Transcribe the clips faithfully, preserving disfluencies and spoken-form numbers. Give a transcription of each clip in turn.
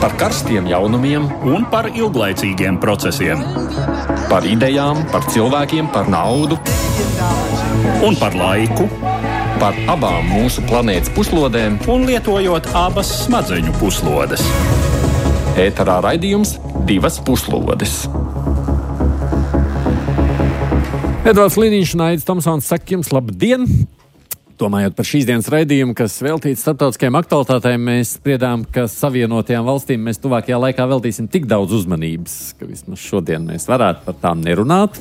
Par karstiem jaunumiem un par ilglaicīgiem procesiem. Par idejām, par cilvēkiem, par naudu. Un par laiku. Par abām mūsu planētas puslodēm. Un lietojot abas smadzeņu puslodes. Ēterā raidījums Divas puslodes. Edvards Liniņš un Aidis Tomsons saka jums labdien! Domājot par šīs dienas raidījumu, kas veltīts starptautiskajām aktualitātēm, mēs spriedām, ka Savienotajām valstīm mēs tuvākajā laikā veltīsim tik daudz uzmanības, ka vismaz šodien mēs varētu par tām nerunāt.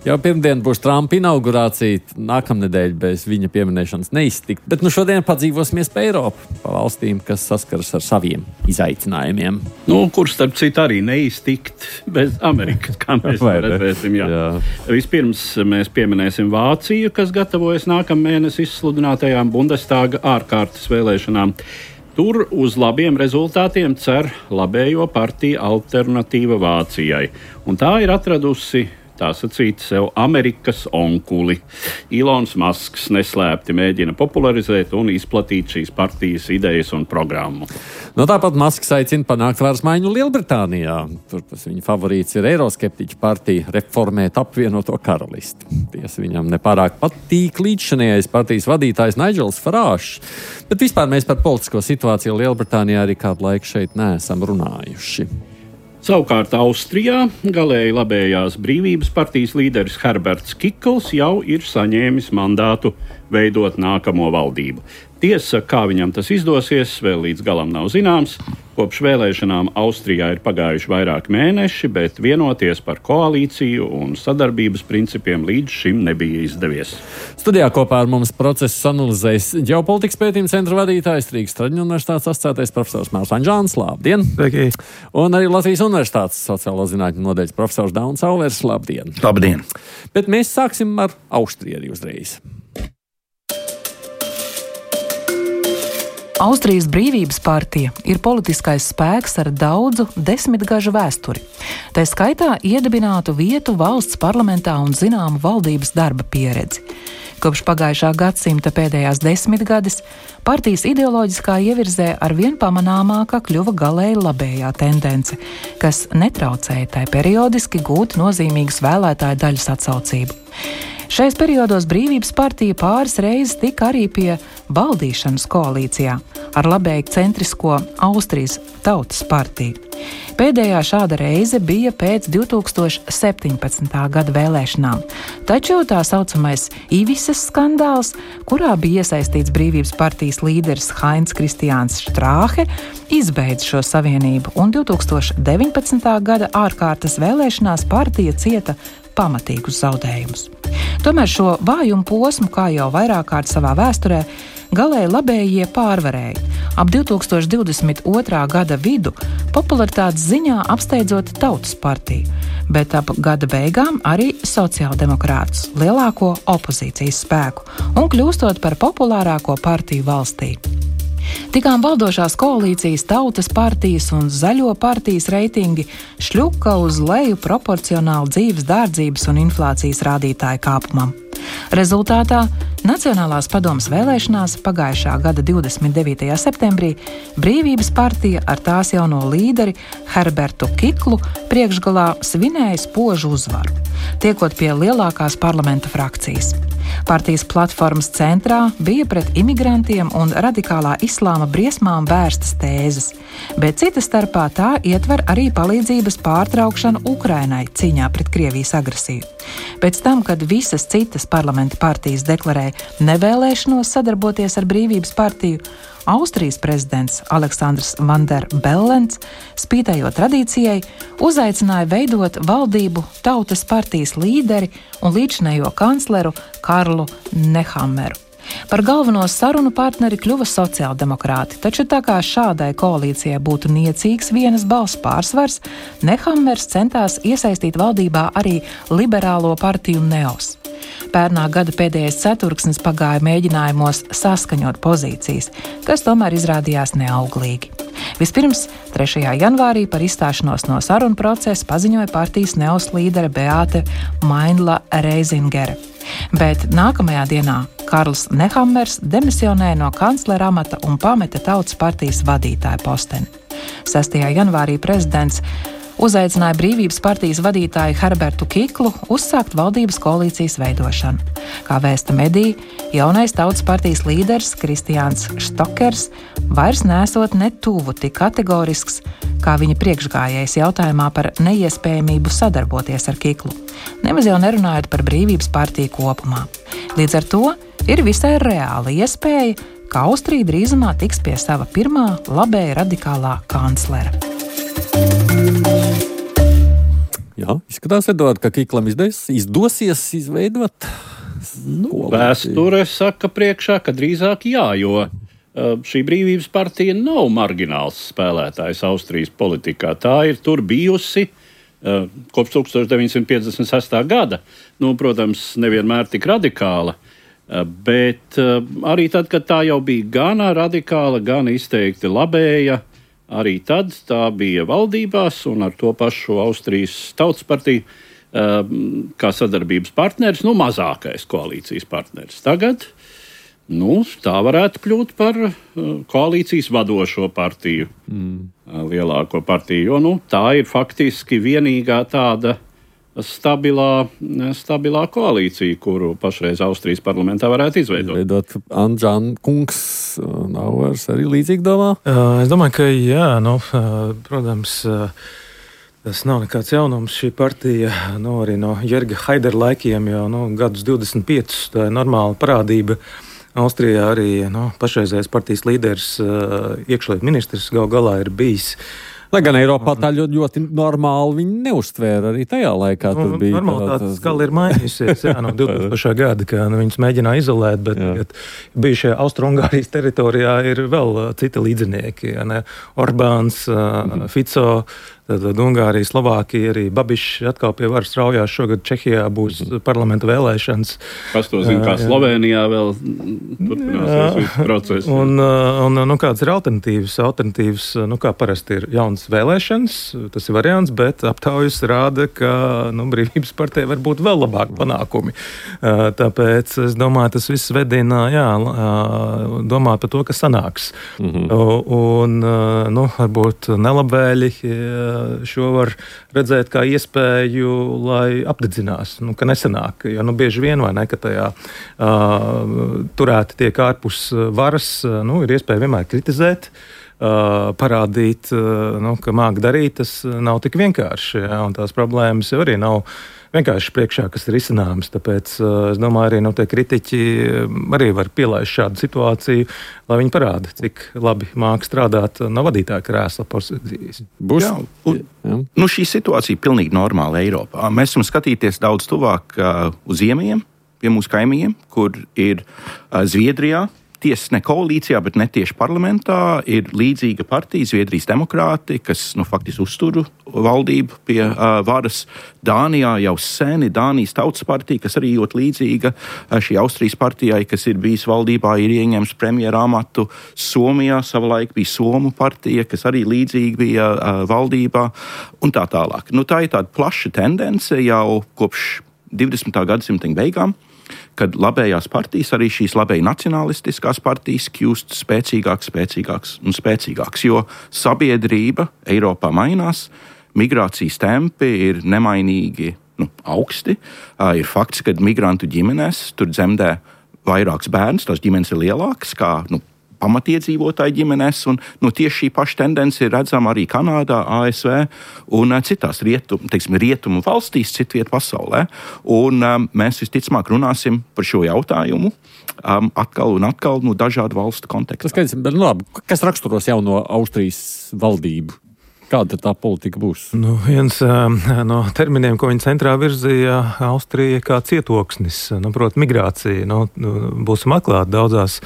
Jau pirmdien būs Trumpa inaugurācija, nākamnedēļ bez viņa pieminēšanas neiztikt, bet nu šodien padzīvosimies pa Eiropu, pa valstīm, kas saskaras ar saviem izaicinājumiem. Nu, kur starp citu arī neiztikt bez Amerikas, kā mēs redzēsim. Jā. Jā. Vispirms mēs pieminēsim Vāciju, kas gatavojas nākamēnes izsludinātajām Bundestāga ārkārtas vēlēšanām. Tur uz labiem rezultātiem cer labējo partiju Alternatīva Vācijai, un tā ir atradusi tā sacīt sev Amerikas onkuli. Ilons Masks neslēpti mēģina popularizēt un izplatīt šīs partijas idejas un programmu. No tāpat Masks aicina panākt varas maiņu Lielbritānijā. Tur tas viņa favorīts ir eiroskeptiķu partija reformēt apvienoto karalisti. Tiesa viņam nepārāk patīk līdzšanējais partijas vadītājs Nigels Farāžs, bet vispār mēs par politisko situāciju Lielbritānijā arī kādu laiku šeit neesam runājuši. Savukārt Austrijā galēji labējās brīvības partijas līderis Herberts Kikls jau ir saņēmis mandātu veidot nākamo valdību. Tiesa, kā viņam tas izdosies, vēl līdz galam nav zināms. Kopš vēlēšanām Austrijā ir pagājuši vairāk mēneši, bet vienoties par koalīciju un sadarbības principiem līdz šim nebija izdevies. Studijā kopā ar mums procesus analizēs ģeopolitikas pētījuma centra vadītājs, Rīgas Traģiņu universitātes asociētais profesors Mārs Anžāns. Labdien! Sveiki! Un arī Latvijas universitātes sociālo zinātņu nodaļas profesors Dauns Auvers. Labdien! Labdien! Bet mēs sāksim ar Austriju arī uzreiz. Austrijas Brīvības partija ir politiskais spēks ar daudzu desmitgažu vēsturi. Tā skaitā iedibinātu vietu valsts parlamentā un zināmu valdības darba pieredzi. Kopš pagājušā gadsimta pēdējās desmitgades partijas ideoloģiskā ievirzē arvien pamanāmāka kļuva galēji labējā tendence, kas netraucēja tai periodiski gūt nozīmīgas vēlētāju daļas atsaucību. Šais periodos Brīvības partija pāris reizes tika arī pie valdīšanas koalīcijā ar labēju centrisko Austrijas Tautas partiju. Pēdējā šāda reize bija pēc divi tūkstoši septiņpadsmitā gada vēlēšanām, taču tā saucamais Ivises skandāls, kurā bija iesaistīts Brīvības partijas līderis Hainz Kristiāns Štrāhe, izbeidza šo savienību, un divi tūkstoši deviņpadsmitā gada ārkārtas vēlēšanās partija cieta pamatīgus zaudējumus. Tomēr šo vājumu posmu, kā jau vairāk kārt savā vēsturē, galēji labējie pārvarēja. Ap divi tūkstoši divdesmit otrā gada vidu popularitātes ziņā apsteidzot Tautas partiju, bet ap gada beigām arī sociāldemokrātus, lielāko opozīcijas spēku, un kļūstot par populārāko partiju valstī. Tikām valdošās koalīcijas Tautas partijas un Zaļo partijas reitingi šļuka uz leju proporcionāli dzīves dārdzības un inflācijas rādītāju kāpumam. Rezultātā Nacionālās padomes vēlēšanās pagājušā gada divdesmit devītajā septembrī Brīvības partija ar tās jauno līderi Herbertu Kiklu priekšgalā svinēja spožu uzvaru, tiekot pie lielākās parlamenta frakcijas. Partijas platformas centrā bija pret imigrantiem un radikālā islāma briesmām vērstas tēzes, bet cita starpā tā ietver arī palīdzības pārtraukšanu Ukrainai cīņā pret Krievijas agresiju. Pēc tam, kad visas citas parlamenta partijas deklarēja nevēlēšanos sadarboties ar Brīvības partiju, Austrijas prezidents Aleksandrs Van der Bellens, spītējot tradīcijai, uzaicināja veidot valdību Tautas partijas līderi un līdzinējo kancleru Karlu Nehammeru. Par galveno sarunu partneri kļuva sociāldemokrāti, taču tā kā šādai koalīcijai būtu niecīgs vienas balss pārsvars, Nehammers centās iesaistīt valdībā arī liberālo partiju Neos. Pērnā gada pēdējais ceturksnis pagāja mēģinājumos saskaņot pozīcijas, kas tomēr izrādījās neauglīgi. Vispirms, trešajā janvārī par izstāšanos no sarunu procesa paziņoja partijas Neos līdere Beāte Mainla-Reizingere. Bet nākamajā dienā Karls Nehammers demisionēja no kanclera amata un pameta Tautas partijas vadītāja posteni. sestajā janvārī prezidents uzaicināja Brīvības partijas vadītāju Herbertu Kiklu uzsākt valdības koalīcijas veidošanu. Kā vēsta mediji, jaunais Tautas partijas līderis Kristiāns Štokers vairs nesot ne tuvu tik kategorisks, kā viņa priekšgājējs jautājumā par neiespējamību sadarboties ar Kiklu, nemaz jau nerunājot par Brīvības partiju kopumā. Līdz ar to ir visai reāla iespēja, ka Austrija drīzumā tiks pie sava pirmā labēja radikālā kanclera. Jā, izskatās, Eduard, ka Kiklam izdes, izdosies izveidot nu, vēsture saka priekšā, ka drīzāk jā, jo uh, šī Brīvības partija nav margināls spēlētājs Austrijas politikā. Tā ir tur bijusi uh, kopš tūkstoš deviņi simti piecdesmit sestā gada. Nu, protams, nevienmēr tik radikāla, uh, bet uh, arī tad, kad tā jau bija gan radikāla, gan izteikti labēja, arī tad tā bija valdībās un ar to pašu Austrijas Tautas partiju kā sadarbības partneris, nu mazākais koalīcijas partneris. Tagad nu, tā varētu kļūt par koalīcijas vadošo partiju, mm. lielāko partiju, jo nu, tā ir faktiski vienīgā tāda stabilā, stabilā koalīcija, kuru pašreiz Austrijas parlamentā varētu izveidot. Izveidot Anžāna kungs nav vairs arī līdzīgi domā? Uh, es domāju, ka jā, nu, uh, protams, uh, tas nav nekāds jaunums. Šī partija, nu, arī no Jerga Haidera laikiem jau nu, gadus divdesmit piecus, tā ir normāla parādība. Austrijā arī nu, pašreizējais partijas līderis, uh, iekšlietu ministrs gal galā ir bijis. Lai gan Eiropā tā ļoti, ļoti normāli viņi neuztvēra arī tajā laikā. Nu, normalitāte skala ir mainījusies, jā, no divtūkstošā gada, ka nu, viņus mēģināja izolēt, bet tagad bijušajā Austro-Ungārijas teritorijā ir vēl citi līdzinieki, ja ne? Orbāns, mm-hmm. Fico, tad Ungārija, Slovākija, arī Babišs atkal pie varas raujās. Šogad Čehijā būs mm-hmm. parlamenta vēlēšanas. Kas to zina, kā Slovenijā vēl turpināsies visu procesu. Un, un nu, kādas ir alternatīvas? Alternatīvas, nu, kā parasti ir jaunas vēlēšanas, tas ir variants, bet aptaujas rāda, ka nu, Brīvības partijai var būt vēl labāki panākumi. Tāpēc es domāju, tas viss vedina, jā, domāt par to, kas sanāks. Mm-hmm. Un, nu, varbūt nelabvēļi šo var redzēt kā iespēju, lai apdedzinās, nu, ka nesanāk. Jo nu, bieži vien, vai ne, ka tajā uh, turēti tiek ārpus varas, nu, ir iespēja vienmēr kritizēt, uh, parādīt, uh, nu, ka māk darīt, tas nav tik vienkārši. Ja, un tās problēmas jau arī nav vienkārši priekšā, kas ir izcināmas. Tāpēc uh, es domāju, arī nu, tie kritiķi arī var pielaist šādu situāciju, lai viņi parāda, cik labi māk strādāt no vadītāja krēsla pozīcijas. Būs? Jā, un, jā. Nu, šī situācija ir pilnīgi normāla Eiropā. Mēs varam skatīties daudz tuvāk uh, uz ziemiem, pie mūsu kaimiņiem, kur ir uh, Zviedrijā. Tiesa ne koalīcijā, bet ne tieši parlamentā ir līdzīga partija, Zviedrijas demokrāti, kas nu, faktiski uztur valdību pie uh, varas. Dānijā jau seni Dānijas Tautas partija, kas arī ļoti līdzīga uh, šī Austrijas partijai, kas ir bijis valdībā, ir ieņēmis premjera amatu. Somijā savulaik bija Somu partija, kas arī līdzīgi bija uh, valdībā un tā tālāk. Nu, tā ir tāda plaša tendence jau kopš divdesmitā gadsimta beigām, kad labējās partijas, arī šīs labēji nacionalistiskās partijas, kļūst spēcīgāks, spēcīgāks un spēcīgāks, jo sabiedrība Eiropā mainās, migrācijas tempi ir nemainīgi nu, augsti. Uh, ir fakts, ka migrantu ģimenēs tur dzemdē vairāks bērns, tās ģimenes ir lielākas kā nu, pamatiedzīvotāju ģimenēs, un nu, tieši šī paša tendence ir redzama arī Kanādā, A S V un uh, citās rietum, teiksim, rietumu valstīs, citviet pasaulē. Un um, mēs visticamāk runāsim par šo jautājumu um, atkal un atkal no dažādu valstu kontekstā. Tas, bet, nu, labi, kas raksturos jauno Austrijas valdību? Kāda tā politika būs? Nu, viens um, no terminiem, ko viņi centrā virzīja, Austrija kā cietoksnis, nu, proti migrācija. Nu, būsim atklāti, daudzās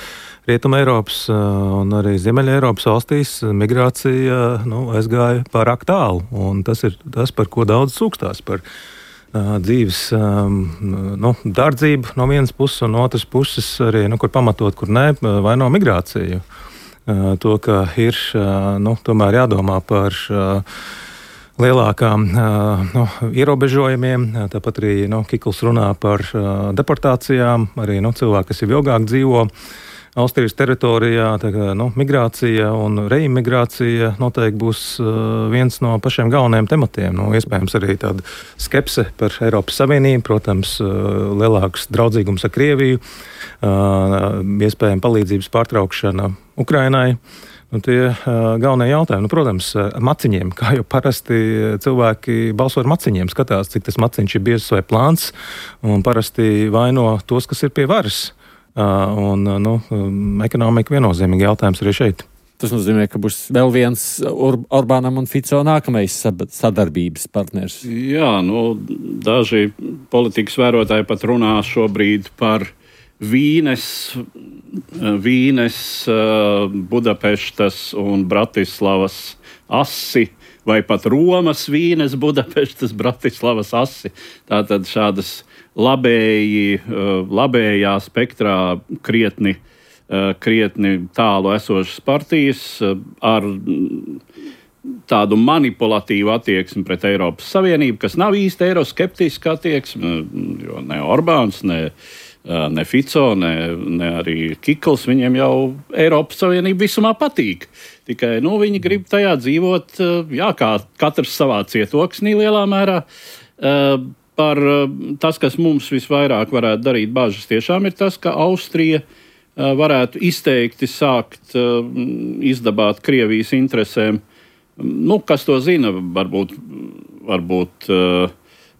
Rietuma Eiropas un arī Ziemeļa Eiropas valstīs migrācija nu, aizgāja pārāk tālu, un tas ir tas, par ko daudz sūkstās, par uh, dzīves um, nu, dārdzību no vienas puses, un no otras puses arī, nu, kur pamatot, kur nē, vaino migrāciju. Uh, to, ka ir uh, nu, tomēr jādomā par uh, lielākām uh, nu, ierobežojumiem, tāpat arī nu, Kikls runā par uh, deportācijām, arī nu, cilvēki, kas jau ilgāk dzīvo Austrijas teritorijā tā kā, nu, migrācija un reimigrācija noteikti būs uh, viens no pašiem galvenajiem tematiem. Nu, iespējams arī tāda skepse par Eiropas Savienību, protams, uh, lielāks draudzīgums ar Krieviju, uh, iespējama palīdzības pārtraukšana Ukrainai. Nu, tie uh, galvenie jautājumi, nu, protams, ar maciņiem, kā jau parasti cilvēki balso ar maciņiem, skatās, cik tas maciņš ir biezs vai plāns, un parasti vaino tos, kas ir pie varas. Uh, un, nu, um, ekonomika viennozīmīgi jautājums arī šeit. Tas nozīmē, ka būs vēl viens Ur- Orbānam un Fico nākamais sadarbības partners. Jā, nu, daži politikas vērotāji pat runā šobrīd par Vīnes, Vīnes, Budapeštas un Bratislavas asi, vai pat Romas, Vīnes, Budapeštas, Bratislavas asi. Tātad šādas labēji, labējā spektrā krietni, krietni tālu esošas partijas ar tādu manipulatīvu attieksmi pret Eiropas Savienību, kas nav īsti eiroskeptiska attieksme, jo ne Orbāns, ne Ne Fico, ne, ne arī Kikls, viņiem jau Eiropas Savienība visumā patīk. Tikai nu, viņi grib tajā dzīvot, jā, kā katrs savā cietoksnī lielā mērā. Par tas, kas mums visvairāk varētu darīt bažas, tiešām ir tas, ka Austrija varētu izteikti sākt izdabāt Krievijas interesēm. Nu, kas to zina, varbūt, varbūt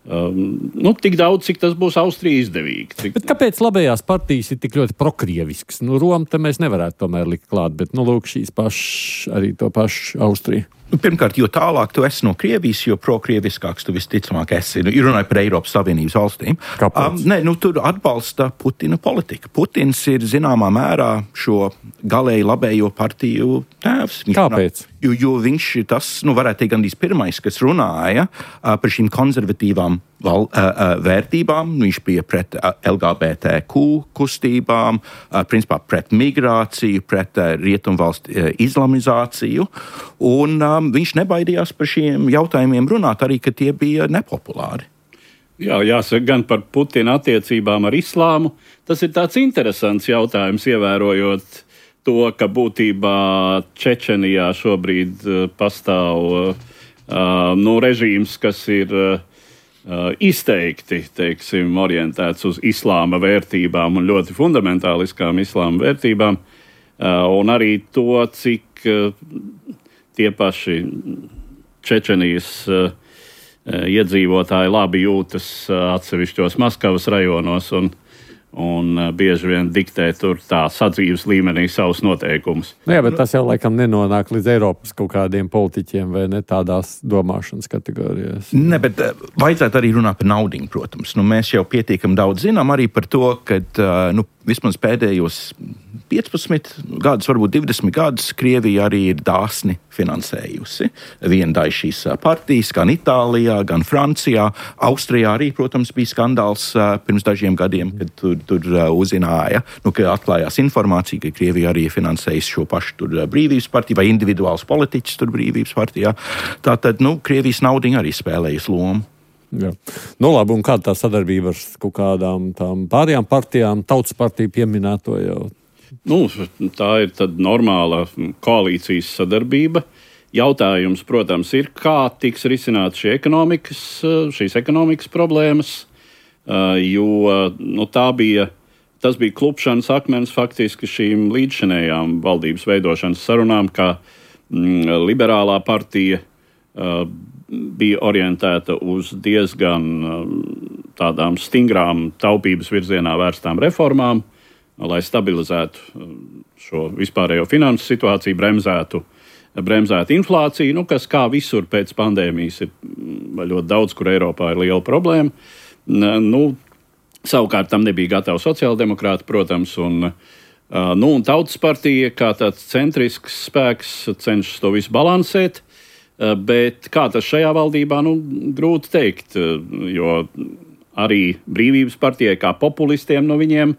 Um, nu, tik daudz, cik tas būs Austrijai izdevīgi. Cik... Bet kāpēc labējās partijas ir tik ļoti prokrievisks? Nu, Roma te mēs nevarētu tomēr likt klāt, bet, nu, lūk, šīs pašas, arī to pašu Austriju. Nu, pirmkārt, jo tālāk tu esi no Krievijas, jo prokrieviskāks tu visticamāk esi. Nu, runāju par Eiropas Savienības valstīm. Kāpēc? Um, ne, nu, tur atbalsta Putina politika. Putins ir zināmā mērā šo galēji labējo partiju tēvs. Viņš Kāpēc? Runā, jo, jo viņš tas, nu, varētu teikt, gandrīz pirmais, kas runāja uh, par šīm konservatīvām val, uh, uh, vērtībām. Viņš bija pret uh, L G B T Q kustībām, uh, principā pret migrāciju, pret uh, rietumvalstu uh, islamizāciju. Un uh, viņš nebaidījās par šiem jautājumiem runāt, arī, ka tie bija nepopulāri. Jā, jāsaka gan par Putina attiecībām ar islāmu. Tas ir tāds interesants jautājums, ievērojot to, ka būtībā Čečenijā šobrīd uh, pastāv uh, nu, režīms, kas ir uh, izteikti, teiksim, orientēts uz islāma vērtībām un ļoti fundamentāliskām islāma vērtībām. Uh, un arī to, cik uh, tie paši Čečenijas uh, iedzīvotāji labi jūtas uh, atsevišķos Maskavas rajonos un, un uh, bieži vien diktē tur tā sadzīves līmenī savus noteikumus. Jā, bet tas jau laikam nenonāk līdz Eiropas kaut kādiem politiķiem vai ne tādās domāšanas kategorijās. Ne, bet uh, vajadzētu arī runāt par naudiņu, protams. Nu, mēs jau pietiekam daudz zinām arī par to, ka uh, nu, vismaz pēdējos piecpadsmit gadus, varbūt divdesmit gadus, Krievija arī ir dāsni finansējusi vienu daļu šīs partijas, gan Itālijā, gan Francijā. Austrijā arī, protams, bija skandāls pirms dažiem gadiem, kad tur, tur uzzināja, nu, ka atklājās informācija, ka Krievija arī ir finansējusi šo pašu tur Brīvības partiju vai individuāls politiķis tur Brīvības partijā. Tātad, nu, Krievijas naudiņa arī spēlējas lomu. Jā. Nu, labi, un kāda tā sadarbība ar kaut kādām tām pārējām partijām, Tautas partiju pieminēto jau? Nu, tā ir tad normāla koalīcijas sadarbība. Jautājums, protams, ir, kā tiks risināt šī ekonomikas, šīs ekonomikas problēmas, jo nu, tā bija, tas bija klupšanas akmens faktiski šīm līdzšinējām valdības veidošanas sarunām, kā mm, liberālā partija uh, bija orientēta uz diezgan tādām stingrām taupības virzienā vērstām reformām, lai stabilizētu šo vispārējo finansu situāciju, bremzētu, bremzētu inflāciju, nu, kas kā visur pēc pandēmijas ir ļoti daudz, kur Eiropā ir liela problēma. Nu, savukārt tam nebija gatava sociāldemokrāti, protams, un, nu, un Tautas partija kā tāds centrisks spēks cenšas to visu balansēt. Bet kā tas šajā valdībā, nu, grūti teikt, jo arī Brīvības partijai kā populistiem no viņiem,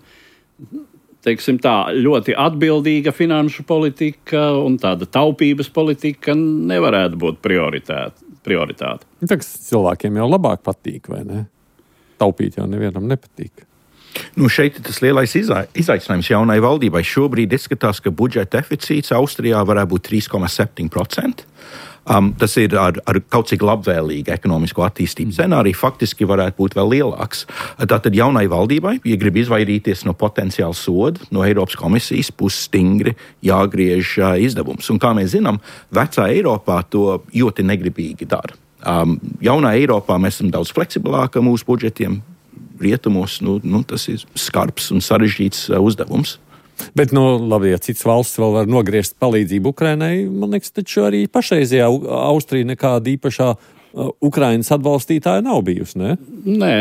teiksim tā, ļoti atbildīga finanšu politika un tāda taupības politika nevarētu būt prioritāte. Tas cilvēkiem jau labāk patīk, vai ne? Taupīt jau nevienam nepatīk. Nu, šeit ir tas lielais izaicinājums jaunai valdībai. Šobrīd izskatās, ka budžeta deficīts Austrijā varētu būt trīs komats septiņi procenti. Um, tas ir ar, ar kaut cik labvēlīgu ekonomisko attīstību scenāriju, faktiski varētu būt vēl lielāks. Tātad jaunai valdībai, ja grib izvairīties no potenciāla soda, no Eiropas komisijas puses stingri jāgriež uh, izdevums. Un kā mēs zinām, vecā Eiropā to ļoti negribīgi dara. Um, jaunā Eiropā mēs esam daudz fleksibilāki mūsu budžetiem. Rietumos nu, nu, tas ir skarbs un sarežģīts uh, uzdevums. Bet, nu, labi, ja cits valsts vēl var nogriezt palīdzību Ukrainai, man liekas, taču arī pašreizajā Austrija nekāda īpašā uh, Ukrainas atbalstītāja nav bijusi, ne? Nē,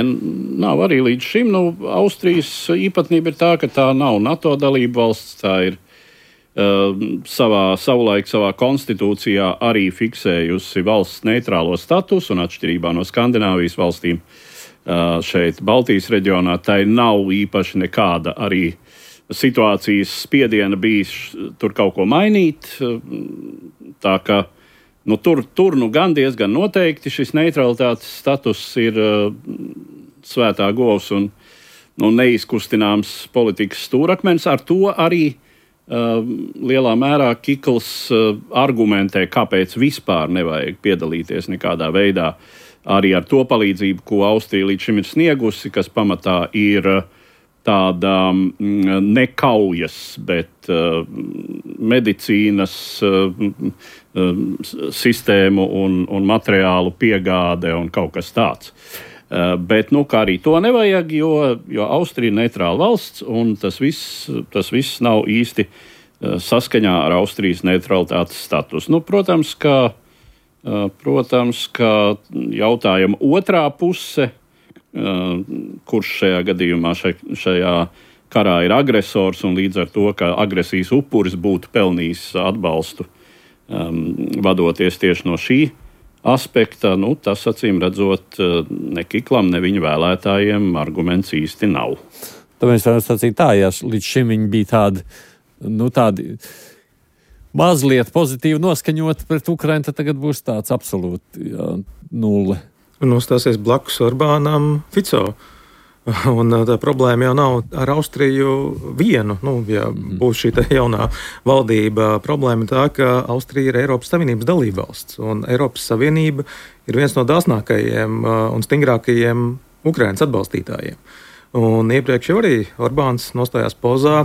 nav arī līdz šim. Nu, Austrijas īpatnība ir tā, ka tā nav NATO dalība valsts, tā ir uh, savā, savulaik savā konstitūcijā arī fiksējusi valsts neitrālo statusu un atšķirībā no Skandināvijas valstīm uh, šeit Baltijas reģionā, tai nav īpaši nekāda arī situācijas spiediena bijis tur kaut ko mainīt, tā ka nu, tur, tur nu gan diezgan noteikti šis neutralitātes status ir uh, svētā govs un nu, neizkustināms politikas stūrakmens. Ar to arī uh, lielā mērā Kikls uh, argumentē, kāpēc vispār nevajag piedalīties nekādā veidā arī ar to palīdzību, ko Austrija līdz šim ir sniegusi, kas pamatā ir uh, tāda nekaujas, bet uh, medicīnas uh, uh, sistēmu un, un materiālu piegāde un kaut kas tāds. Uh, bet, nu, kā arī to nevajag, jo, jo Austrija ir neitrāla valsts, un tas viss, tas viss nav īsti uh, saskaņā ar Austrijas neutralitātes status. Nu, protams, ka, uh, protams, ka jautājuma otrā puse, Uh, kurš šajā gadījumā šai, šajā karā ir agresors un līdz ar to, ka agresijas upuris būtu pelnījis atbalstu, um, vadoties tieši no šī aspekta, nu, tas acīm redzot uh, ne Kiklam, ne viņa vēlētājiem arguments īsti nav. Tāpēc varam sacīt tā, ja līdz šim viņi bija tādi, nu, tādi mazliet pozitīvi noskaņoti pret Ukrainu, tad tagad būs tāds absolūti jā, nulle. Un uzstāsies blakus Orbānam Fico. Un tā problēma jau nav ar Austriju vienu. Nu, ja būs šī jaunā valdība, problēma ir tā, ka Austrija ir Eiropas Savienības dalībvalsts. Un Eiropas Savienība ir viens no dāsnākajiem un stingrākajiem Ukrainas atbalstītājiem. Un iepriekš jau arī Orbāns nostājās pozā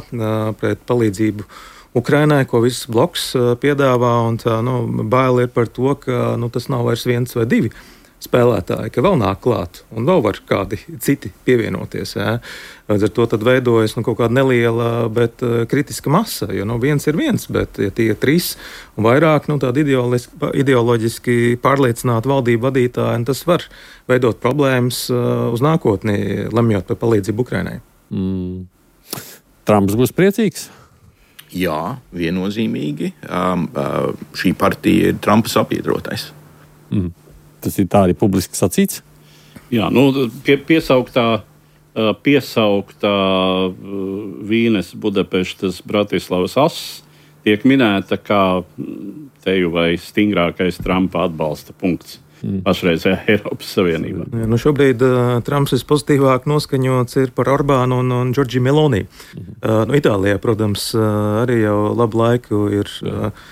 pret palīdzību Ukrainai, ko viss bloks piedāvā. Un tā, nu, bail ir par to, ka nu, tas nav vairs viens vai divi spēlētāji, ka vēl nāk klāt un vēl var kādi citi pievienoties. Jā. Līdz ar to tad veidojas nu, kaut kāda neliela, bet uh, kritiska masa, jo nu, viens ir viens, bet ja tie trīs un vairāk nu, tādi ideoloģiski pārliecināti valdību vadītāji, tas var veidot problēmas uh, uz nākotni, lemjot par palīdzību Ukrainai. Mm. Trumps būs priecīgs? Jā, viennozīmīgi. Um, uh, šī partija ir Trumpa sabiedrotais. Mm. Tas ir tā arī publiski sacīts? Jā, nu, pie, piesauktā, piesauktā Vīnes, Budapeštas, Bratislavas ass tiek minēta kā teju vai stingrākais Trumpa atbalsta punkts mm. pašreizējā Eiropas Savienībā. Jā, nu šobrīd uh, Trumps vispozitīvāk noskaņots ir par Orbānu un, un Giorgio Meloni. Mm. Uh, nu, Itālijā, protams, uh, arī jau labu laiku ir... Uh,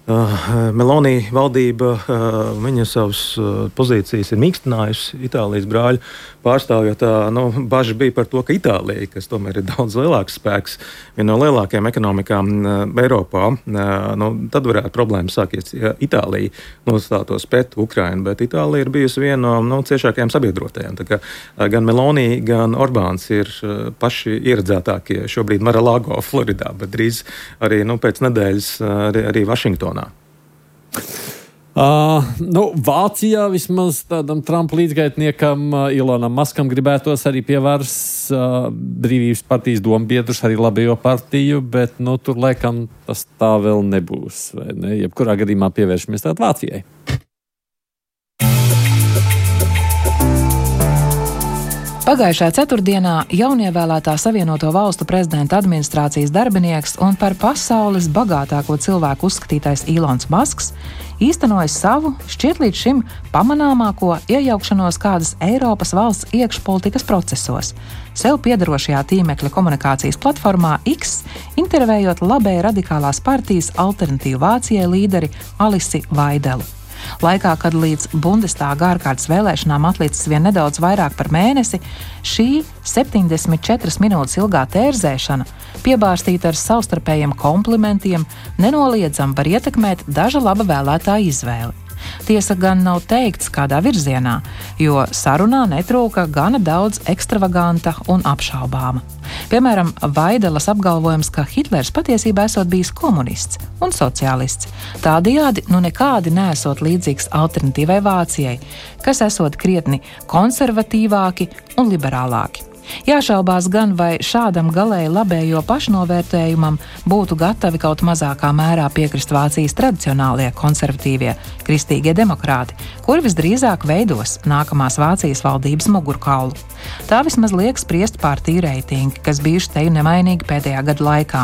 Uh, Meloni valdība, uh, viņa savas uh, pozīcijas ir mīkstinājusi Itālijas brāļu pārstāvjot. Nu, bažas bija par to, ka Itālija, kas tomēr ir daudz lielāks spēks, viena no lielākajām ekonomikām uh, Eiropā, uh, nu, tad varētu problēmas sākties, ja Itālija nostātos pret Ukrainu, bet Itālija ir bijusi viena no nu, ciešākajām sabiedrotajām. Tā kā uh, gan Meloni, gan Orbāns ir uh, paši ieredzētākie šobrīd Mar-a-Lago, Floridā, bet drīz arī nu, pēc nedēļas uh, arī, arī Vašingtonā. Uh, nu, Vācijā vismaz tādam Trumpa līdzgaitniekam uh, Ilonam Maskam gribētos arī pie varas uh, Brīvības partijas dombiedrus, arī Labajo partiju, bet nu, tur laikam tas tā vēl nebūs. Vai ne? Jebkurā gadījumā pievēršamies tātad Vācijai. Pagājušā ceturtdienā jaunievēlētā Savienoto Valstu prezidenta administrācijas darbinieks un par pasaules bagātāko cilvēku uzskatītais Ilons Masks īstenoja savu, šķiet līdz šim pamanāmāko iejaukšanos kādas Eiropas valsts iekšpolitikas procesos. Sev piederošajā tīmekļa komunikācijas platformā X, intervējot labēji radikālās partijas Alternatīva Vācijai līderi Alisi Vaidelu. Laikā, kad līdz Bundestāga ārkārtas vēlēšanām atlicis vien nedaudz vairāk par mēnesi, šī septiņdesmit četras minūtes ilgā tērzēšana, piebārstīta ar savstarpējiem komplimentiem, nenoliedzami var ietekmēt daža laba vēlētāja izvēli. Tiesa gan nav teikts kādā virzienā, jo sarunā netrūka gana daudz ekstravaganta un apšaubāma. Piemēram, Vaidelas apgalvojums, ka Hitlers patiesībā esot bijis komunists un sociālists. Tādējādi nu nekādi neesot līdzīgs Alternatīvai Vācijai, kas esot krietni konservatīvāki un liberālāki. Jāšaubās gan, vai šādam galēji labējo pašnovērtējumam būtu gatavi kaut mazākā mērā piekrist Vācijas tradicionālie konservatīvie kristīgie demokrāti, kuri visdrīzāk veidos nākamās Vācijas valdības mugurkaulu. Tā vismaz liek spriest partiju reitingi, kas bijuši teju nemainīgi pēdējā gada laikā.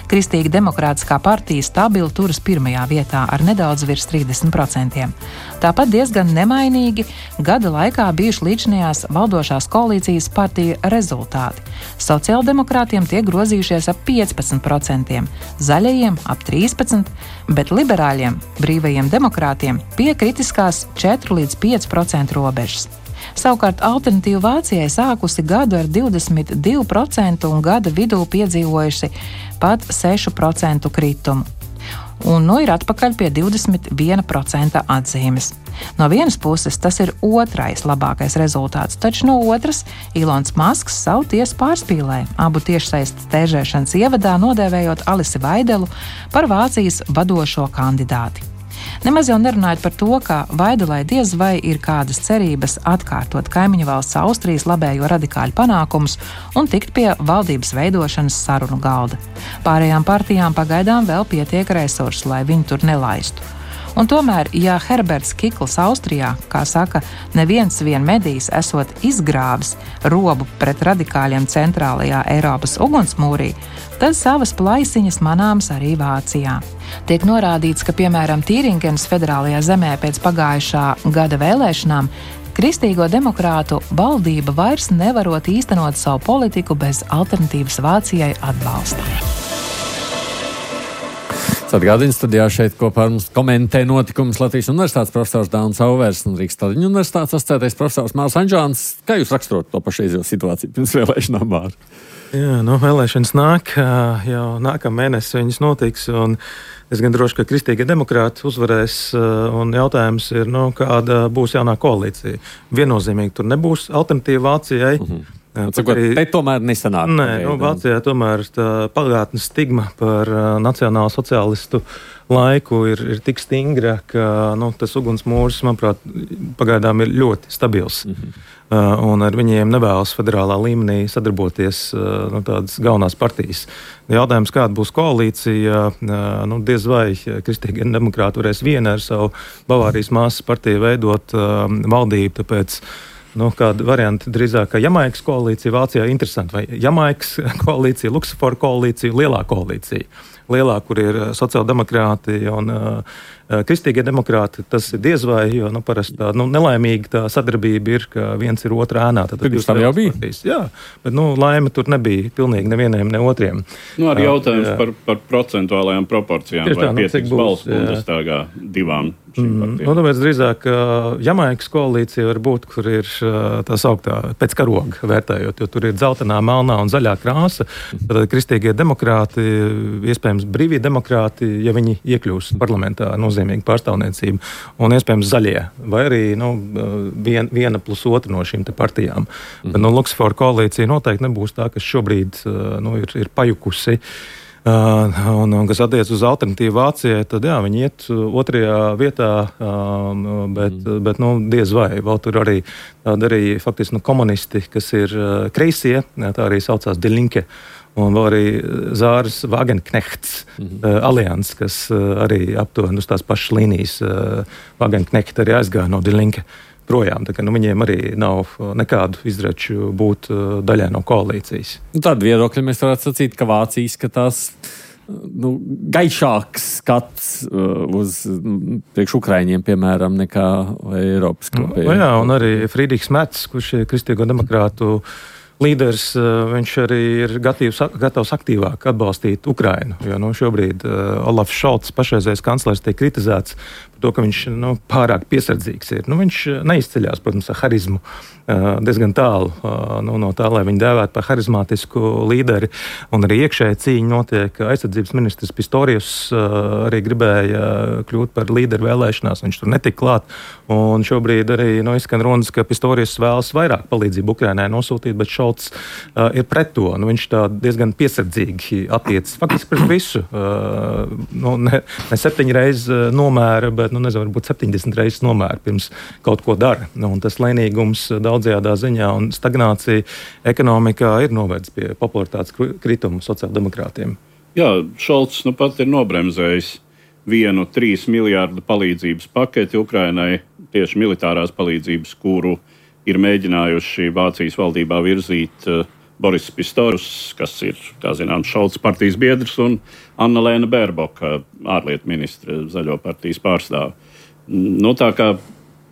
Kristīgi demokrātiskā partija stabili turas pirmajā vietā ar nedaudz virs trīsdesmit procentiem. Tāpat diezgan nemainīgi gada laikā bijuši līdzinājās valdošās koalīcijas partiju rezultāti. Sociāldemokrātiem tie grozījušies ap piecpadsmit procentiem, zaļajiem ap trīspadsmit procentiem, bet liberāļiem, brīvajiem demokrātiem pie kritiskās četri līdz pieci procenti robežas. Savukārt Alternatīva Vācijai sākusi gadu ar divdesmit divu procentu un gada vidū piedzīvojusi pat sešu procentu kritumu. Un nu ir atpakaļ pie divdesmit viena procenta atzīmes. No vienas puses tas ir otrais labākais rezultāts, taču no otras Ilons Masks savu tiesu pārspīlēja, abu tiešsaistes tērzēšanas ievadā nodēvējot Alisi Vaidelu par Vācijas vadošo kandidāti. Nemaz jau nerunājot par to, ka Vaidelai diez vai ir kādas cerības atkārtot kaimiņu valsts Austrijas labējo radikāļu panākumus un tikt pie valdības veidošanas sarunu galda. Pārējām partijām pagaidām vēl pietiek resursu, lai viņi tur nelaistu. Un tomēr, ja Herberts Kikls Austrijā, kā saka, neviens vien medijs esot izgrāvis robu pret radikāļiem centrālajā Eiropas ugunsmūrī, tad savas plaisiņas manāmas arī Vācijā. Tiek norādīts, ka, piemēram, Tīringenas federālajā zemē pēc pagājušā gada vēlēšanām Kristīgo demokrātu valdība vairs nevarot īstenot savu politiku bez Alternatīvas Vācijai atbalsta. Atgādījums studijā šeit kopā ar mums komentē notikumus Latvijas Universitātes profesors Dānis Auvers un Rīgas Tradiņu Universitātes asociētais profesors Mārs Anžāns. Kā jūs raksturot to pašreizējo situāciju pirms vēlēšanām, Māri? Jā, nu, vēlēšanas nāk, jau nākamā mēnesis viņas notiks, un es gan droši, ka Kristīgie demokrāti uzvarēs, un jautājums ir, nu, kāda būs jaunā koalīcija. Viennozīmīgi tur nebūs Alternatīva Vācijai. Uh-huh. Jā, Cikot, arī, te tomēr nesanāk. Nē, nu, Vācijā tomēr tā pagātnes stigma par uh, nacionālo sociālistu laiku ir, ir tik stingra, ka nu, tas ugunsmūrs, manuprāt, pagaidām ir ļoti stabils. Mm-hmm. Uh, un ar viņiem nevēlas federālā līmenī sadarboties uh, nu, tādas galvenās partijas. Jautājums, kāda būs koalīcija, uh, nu, diez vai Kristīgie demokrāti varēs viena ar savu Bavārijas māsas partiju veidot uh, valdību, tāpēc nu, kāda varianta drīzāk, ka Jamaikas koalīcija Vācijā ir interesanti, vai Jamaikas koalīcija, Luksemburga koalīcija, lielā koalīcija. Lielā, kur ir sociāldemokrāti un uh, kristīgie demokrāti, tas ir diez vai, jo nu, parasti tā nu, nelaimīga tā sadarbība ir, ka viens ir otrā ēnā. Tad jūs tam jau bija? Partijas. Jā, bet nu, laime tur nebija pilnīgi nevieniem, ne otriem. Nu, arī jautājums uh, par, par procentuālajām proporcijām, vai nu, pietiks balsu Bundestāgā divām šīm mm, partijām. Nu, tāpēc drīzāk uh, Jamaikas koalīcija var būt, kur ir uh, tā sauktā pēc karoga vērtējot, jo tur ir dzeltenā, melnā un zaļā krāsa. Tad kristīgie demokrāti, iespējams brīvie demokrāti, ja viņi iekļūs parlamentā nozīmīgi pārstāvniecību, un iespējams zaļie, vai arī nu, vien, viena plus otra no šīm te partijām. Mm. Bet nu, Luksemburga koalīcija noteikti nebūs tā, kas šobrīd nu, ir, ir pajukusi. Uh, un, un kas attiec uz Alternatīvu Vācijai, tad jā, viņi iet otrajā vietā, um, bet, mm. bet nu, diez vai. Vēl tur arī tādi arī faktiski nu, komunisti, kas ir uh, kreisie, tā arī saucās Die Linke, un vēl arī Zāras Wagenknechts mm-hmm. uh, alians, kas uh, arī aptuveni uz tās pašas līnijas uh, Wagenknecht arī aizgāja no Die Linke projām. Tā kā nu, viņiem arī nav nekādu izreču būt uh, daļai no koalīcijas. Nu, tādu viedokļu mēs varētu sacīt, ka Vācija izskatās nu, gaišāks skats uh, uz priekš Ukraiņiem, piemēram, nekā Eiropas kopējiem. Nu, jā, un arī Friedrichs Merts, kurš ir Kristīgo demokrātu līderis, viņš arī ir gatavs, gatavs aktīvāk atbalstīt Ukrainu. Jo nu, šobrīd uh, Olafs Šolts, pašreizējais kanclers, tiek kritizēts par to, ka viņš nu, pārāk piesardzīgs ir. Nu, viņš neizceļās, protams, ar harizmu uh, diezgan tālu uh, nu, no tā, lai viņu dēvētu par harizmātisku līderi. Un arī iekšēja cīņa notiek. Aizsardzības ministrs Pistorius uh, arī gribēja kļūt par līderu vēlēšanās. Viņš tur netika klāt. Un šobrīd arī nu, izskan runas, ka Pistorius vēlas vairāk palīdzību Ukrainai nosūtīt, bet Šolts uh, ir pret to. Nu, viņš tā diezgan piesardzīgi attiecas faktiski pret visu. Uh, nu, ne, ne septiņi reizes nomēra, bet nu, nezinu, varbūt septiņdesmit reizes nomēra pirms kaut ko dara. Nu, un tas lēnīgums daudzajādā ziņā un stagnācija ekonomikā ir novedis pie popularitātes krituma sociāldemokrātiem. Jā, Šolts nu pat ir nobremzējis vienu trīs miljārdu palīdzības paketi Ukrainai, tieši militārās palīdzības, kuru ir mēģinājuši Vācijas valdībā virzīt uh, Boris Pistorius, kas ir, kā zinām, Šolts partijas biedrs, un Anna-Lēna Bērboka, ārlietu ministre, Zaļo partijas pārstāve. Nu, tā kā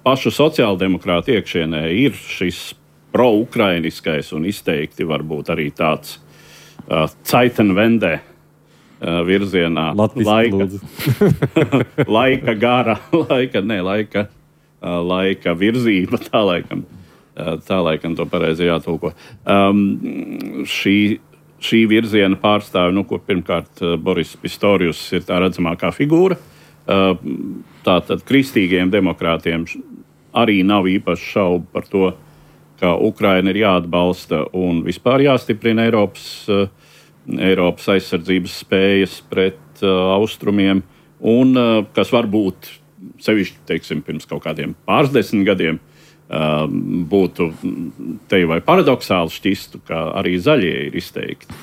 pašu sociāldemokrātu iekšienē ir šis pro-ukrainiskais un izteikti varbūt arī tāds uh, Zeitenwende uh, virzienā. Laika, laika gara, laika, ne, laika, uh, laika virzība, tā laikam. Tā laikam to pareizi jātulko. Um, šī, šī virziena pārstāve, nu, ko pirmkārt Boris Pistorius ir tā redzamākā figūra. Uh, tātad kristīgiem demokrātiem arī nav īpaši šaubu par to, ka Ukraina ir jāatbalsta un vispār jāstiprina Eiropas, uh, Eiropas aizsardzības spējas pret uh, austrumiem. Un uh, kas varbūt sevišķi, teiksim, pirms kaut kādiem pārsdesmit gadiem, Uh, būtu te vai paradoxāli šķistu, ka arī zaļie ir izteikti,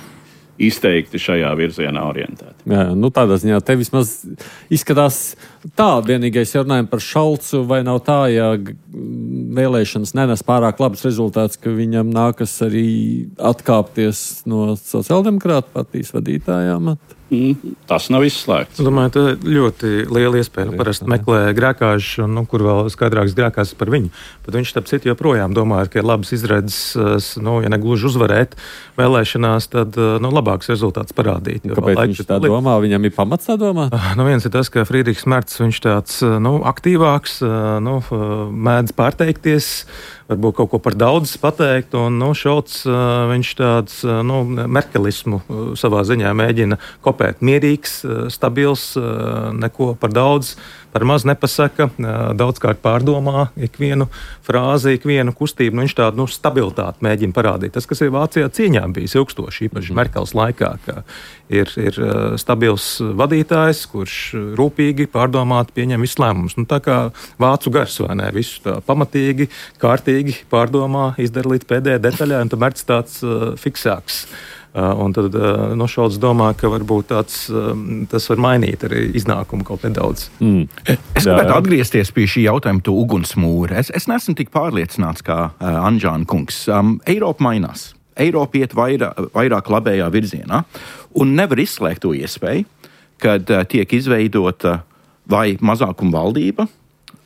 izteikti šajā virzienā orientēti. Jā, nu tādā ziņā te vismaz izskatās tā, vienīgais runājam par Šolcu, vai nav tā, ja vēlēšanas nenes pārāk labs rezultāts, ka viņam nākas arī atkāpties no sociāldemokrātu partijas vadītājām? Mm, tas nav izslēgts. Es domāju, tā ir ļoti liela iespēja. Nu, parasti meklē grēkāžu, nu, kur vēl skaidrāks grēkās par viņu. Bet viņš tāpēc citu joprojām domāja, ka ir labas izredzes, nu, ja negluži uzvarēt vēlēšanās, tad nu, labāks rezultāts parādīt. Kāpēc viņš tā domā? Viņam ir pamats tā domāt? Nu, viens ir tas, ka Friedrichs Merts, viņš tāds nu, aktīvāks, nu, mēdz pārteikties, varbūt kaut ko par daudz pateikt, un nu, Šolts, viņš tāds nu, merkelismu savā ziņā mēģina kopēt. Mierīgs, stabils, neko par daudz, par maz nepasaka, daudzkārt pārdomā ikvienu frāzi, ikvienu kustību. Nu, viņš tādu nu, stabilitāti mēģina parādīt. Tas, kas ir Vācijā cīņā bijis ilgstoši, īpaši mm. Merkels laikā, ka ir, ir stabils vadītājs, kurš rūpīgi pārdomāt pieņem visus lēmumus. Nu, tā kā vācu gars, vai ne? Visu tā pamatīgi, kārtīgi pārdomā, izdara līdz pēdējai detaļai, un tad Merts tāds uh, fiksāks. Uh, un tad uh, no Šolts domā, ka varbūt tāds, um, tas var mainīt arī iznākumu kaut nedaudz. Mm. Es gribētu atgriezties pie šī jautājuma, to ugunsmūri. Es, es neesmu tik pārliecināts kā uh, Anžāna kungs. Um, Eiropa mainās. Eiropa iet vairāk, vairāk labējā virzienā, un nevar izslēgt to iespēju, kad uh, tiek izveidota vai mazākuma valdība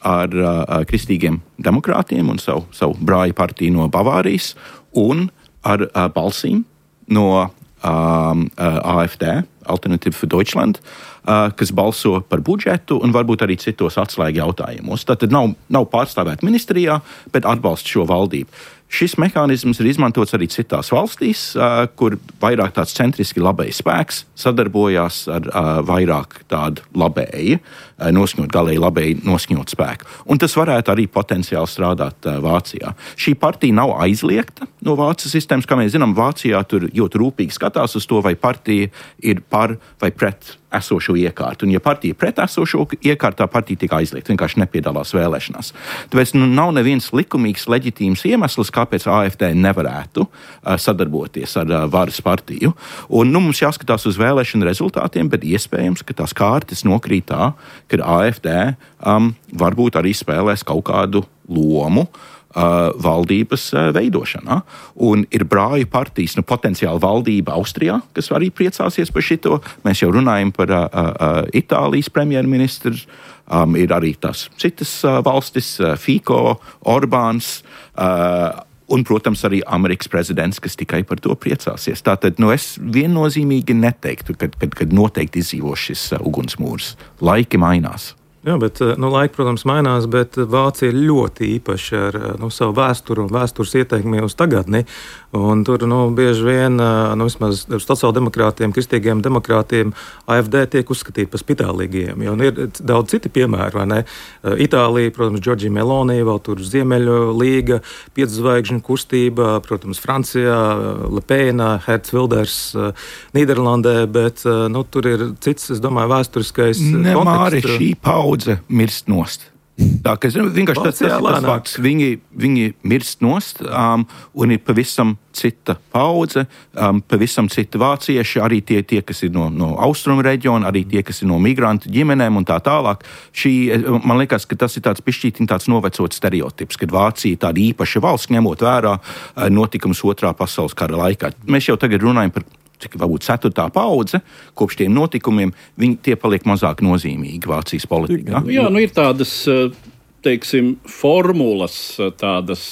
ar uh, kristīgiem demokrātiem un savu, savu brāļu partiju no Bavārijas un ar uh, balsīm no um, A F D, Alternative for Deutschland, uh, kas balso par budžetu un varbūt arī citos atslēgu jautājumos. Tātad nav, nav pārstāvēta ministrijā, bet atbalsta šo valdību. Šis mehānisms ir izmantots arī citās valstīs, uh, kur vairāk tāds centriski labējs spēks sadarbojās ar uh, vairāk tādu labēju, uh, noskaņot, galēji labēji noskaņot spēku. Un tas varētu arī potenciāli strādāt uh, Vācijā. Šī partija nav aizliegta no Vācijas sistēmas, kā mēs zinām, Vācijā tur ļoti rūpīgi skatās uz to, vai partija ir par vai pret esošo iekārtu. Un, ja partija ir pret esošo iekārtu, tā partija tika aizliegta, vienkārši nepiedalās vēlēšanās. Tāpēc nu, nav neviens likumīgs, leģitīms iemesls, kāpēc A F D nevarētu uh, sadarboties ar uh, varas partiju. Un, nu, mums jāskatās uz vēlēšanu rezultātiem, bet iespējams, ka tās kārtas nokrīt tā, ka A F D um, varbūt arī spēlēs kaut kādu lomu uh, valdības uh, veidošanā. Un ir brāļu partijas, nu, potenciāli valdība Austrijā, kas arī priecāsies par šito. Mēs jau runājam par uh, uh, Itālijas premjerministru, um, ir arī tās citas uh, valstis, uh, Fico, Orbāns, uh, un, protams, arī Amerikas prezidents, kas tikai par to priecāsies. Tātad, nu, es viennozīmīgi neteiktu, kad, kad, kad noteikti izdzīvos šis uh, ugunsmūrs. Laiki mainās. Jā, bet nu, laika, protams, mainās, bet Vācija ir ļoti īpaša ar nu, savu vēsturi un vēstures ieteikumi uz tagadni. Un tur nu, bieži vien, nu, vismaz sociāldemokrātiem, kristīgiem demokrātiem, A F D tiek uzskatīti par spitālīgiem. Jo ir daudz citi piemēri, vai ne? Itālija, protams, Giorgia Meloni, vēl tur Ziemeļu līga, piedzvaigžņu kustība, protams, Francijā, Le Pen, Herts Wilders, Nīderlandē, bet nu, tur ir cits, es domāju, vēsturiskais ne, konteksts. Māri, šī paudze mirst nost. Tā, ka, vienkārši tas ir tas fakts. Viņi, viņi mirst nost, um, un ir pavisam cita paudze, um, pavisam cita vācieši, arī tie, tie kas ir no, no austrumu reģiona, arī tie, kas ir no migrantu ģimenēm un tā tālāk. Šī, man liekas, ka tas ir tāds pišķītiņ tāds novecots stereotips, kad Vācija tāda īpaša valsts, ņemot vērā uh, notikums otrā pasaules kara laikā. Mēs jau tagad runājam par cik varbūt ceturtā paudze, kopš tiem notikumiem, viņi tie paliek mazāk nozīmīgi Vācijas politikā. Jā, nu ir tādas, teiksim, formulas, tādas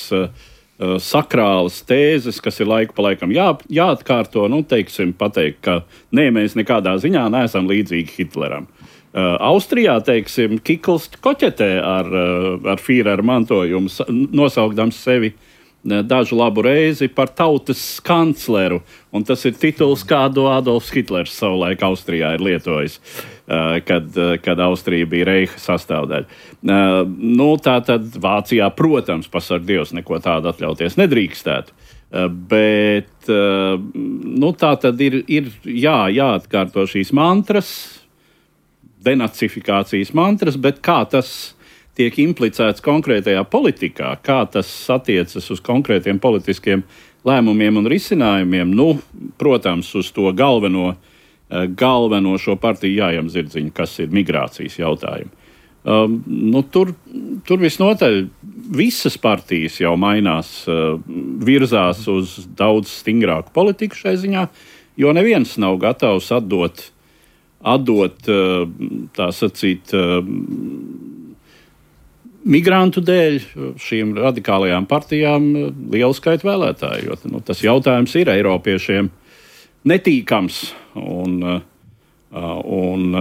sakrālas tēzes, kas ir laiku pa laikam jā, jāatkārto, nu, teiksim, pateikt, ka nē, mēs nekādā ziņā neesam līdzīgi Hitleram. Austrijā, teiksim, Kikls koķetē ar, ar Führeru mantojumu, nosaukdams sevi dažu labu reizi par tautas kancleru, un tas ir tituls, kādu Adolfs Hitlers savulaik Austrijā ir lietojis, kad, kad Austrija bija Reiha sastāvdaļa. Nu, tā tad Vācijā, protams, pasarg Dievs, neko tādu atļauties nedrīkstētu, bet nu, tā tad ir, ir jā, jāatkārto šīs mantras, denacifikācijas mantras, bet kā tas tiek implicēts konkrētajā politikā, kā tas attiecas uz konkrētiem politiskiem lēmumiem un risinājumiem, nu, protams, uz to galveno, galveno šo partiju jājam zirdziņu, kas ir migrācijas jautājumi. Um, nu, tur, tur visnotaļ visas partijas jau mainās, uh, virzās uz daudz stingrāku politiku šai ziņā, jo neviens nav gatavs atdot, atdot uh, tā sacīt, uh, migrantu dēļ šīm radikālajām partijām lielu skaitu vēlētāju, jo nu, tas jautājums ir Eiropiešiem netīkams, un, un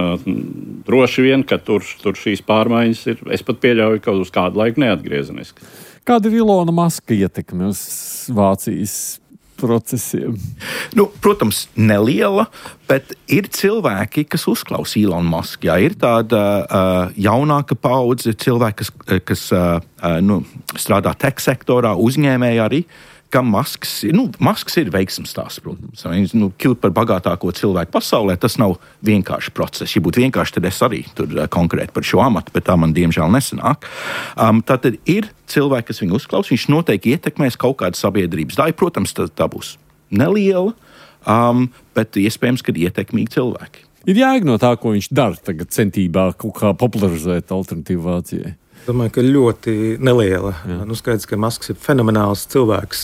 droši vien, ka tur, tur šīs pārmaiņas ir, es pat pieļauju, ka uz kādu laiku neatgriezeniski. Kāda ir Ilona Maska ietekme uz Vācijas procesiem? Nu, protams, neliela, bet ir cilvēki, kas uzklausa Ilonu Masku. Jā, ir tāda uh, jaunāka paudze cilvēki, kas, kas uh, nu, strādā tech sektorā, uzņēmēji arī, kam Masks ir, nu, Masks ir veiksmes stāsts, protams. Viņš nu, kļūt par bagātāko cilvēku pasaulē, tas nav vienkārši process. Ja būtu vienkārši, tad es arī tur uh, konkrēti par šo amatu, bet tā man diemžēl nesanāk. Um, tātad ir cilvēki, kas viņu uzklaus, viņš noteikti ietekmēs kaut kādu sabiedrības daļu. Protams, tā, tā būs neliela, um, bet iespējams, ka ietekmīgi cilvēki. Ir jēga no tā, ko viņš dara tagad centībā kaut kā popularizēt alternatīvu Vācijai. Domāju, ka ļoti neliela. Jā. Nu, skaidrs, ka Masks ir fenomenāls cilvēks.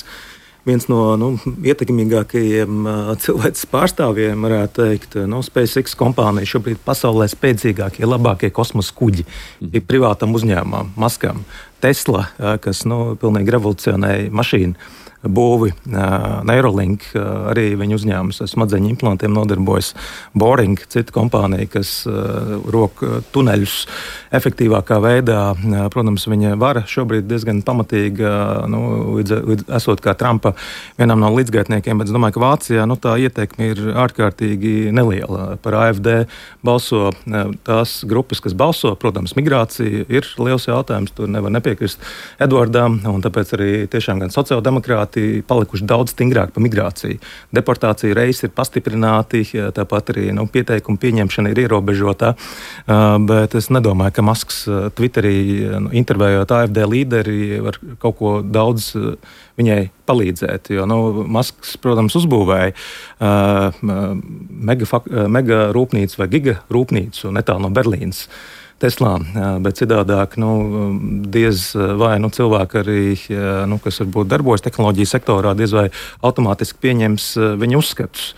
Viens no nu, ietekmīgākajiem uh, cilvēces pārstāvjiem, varētu teikt, no SpaceX kompānija šobrīd pasaulē spēcīgākie, labākie kosmosa kuģi mm. ir privātam uzņēmumam, Maskam. Tesla, uh, kas nu, pilnīgi revolucionēja mašīnu būvi, uh, Neuralink, uh, arī viņa uzņēmums ar smadzeņu implantiem nodarbojas, Boring, cita kompānija, kas uh, rok tuneļus efektīvākā veidā. Uh, protams, viņa vara šobrīd diezgan pamatīga, uh, nu, līdz, līdz, esot kā Trumpa vienam no līdzgaitniekiem, bet es domāju, ka Vācijā nu, tā ietekme ir ārkārtīgi neliela. Par A F D balso uh, tās grupas, kas balso, protams, migrācija ir liels jautājums, tur nevar nepiekrist Edvardam, un tāpēc arī tiešām gan sociāldemokrāti palikuši daudz stingrāk par migrāciju. Deportācija reizes ir pastiprināti, tāpat arī nu, pieteikumu pieņemšana ir ierobežota, bet es nedomāju, ka Masks Twitterī nu, intervējot A F D līderi var kaut ko daudz viņai palīdzēt, jo nu, Masks, protams, uzbūvēja uh, mega, fak, mega rūpnīcu vai giga rūpnīcu netālu no Berlīnas. Teslā, bet citādāk, nu, diez vai nu, cilvēki arī, nu, kas varbūt darbojas tehnoloģiju sektorā, diez vai automātiski pieņems viņu uzskatus.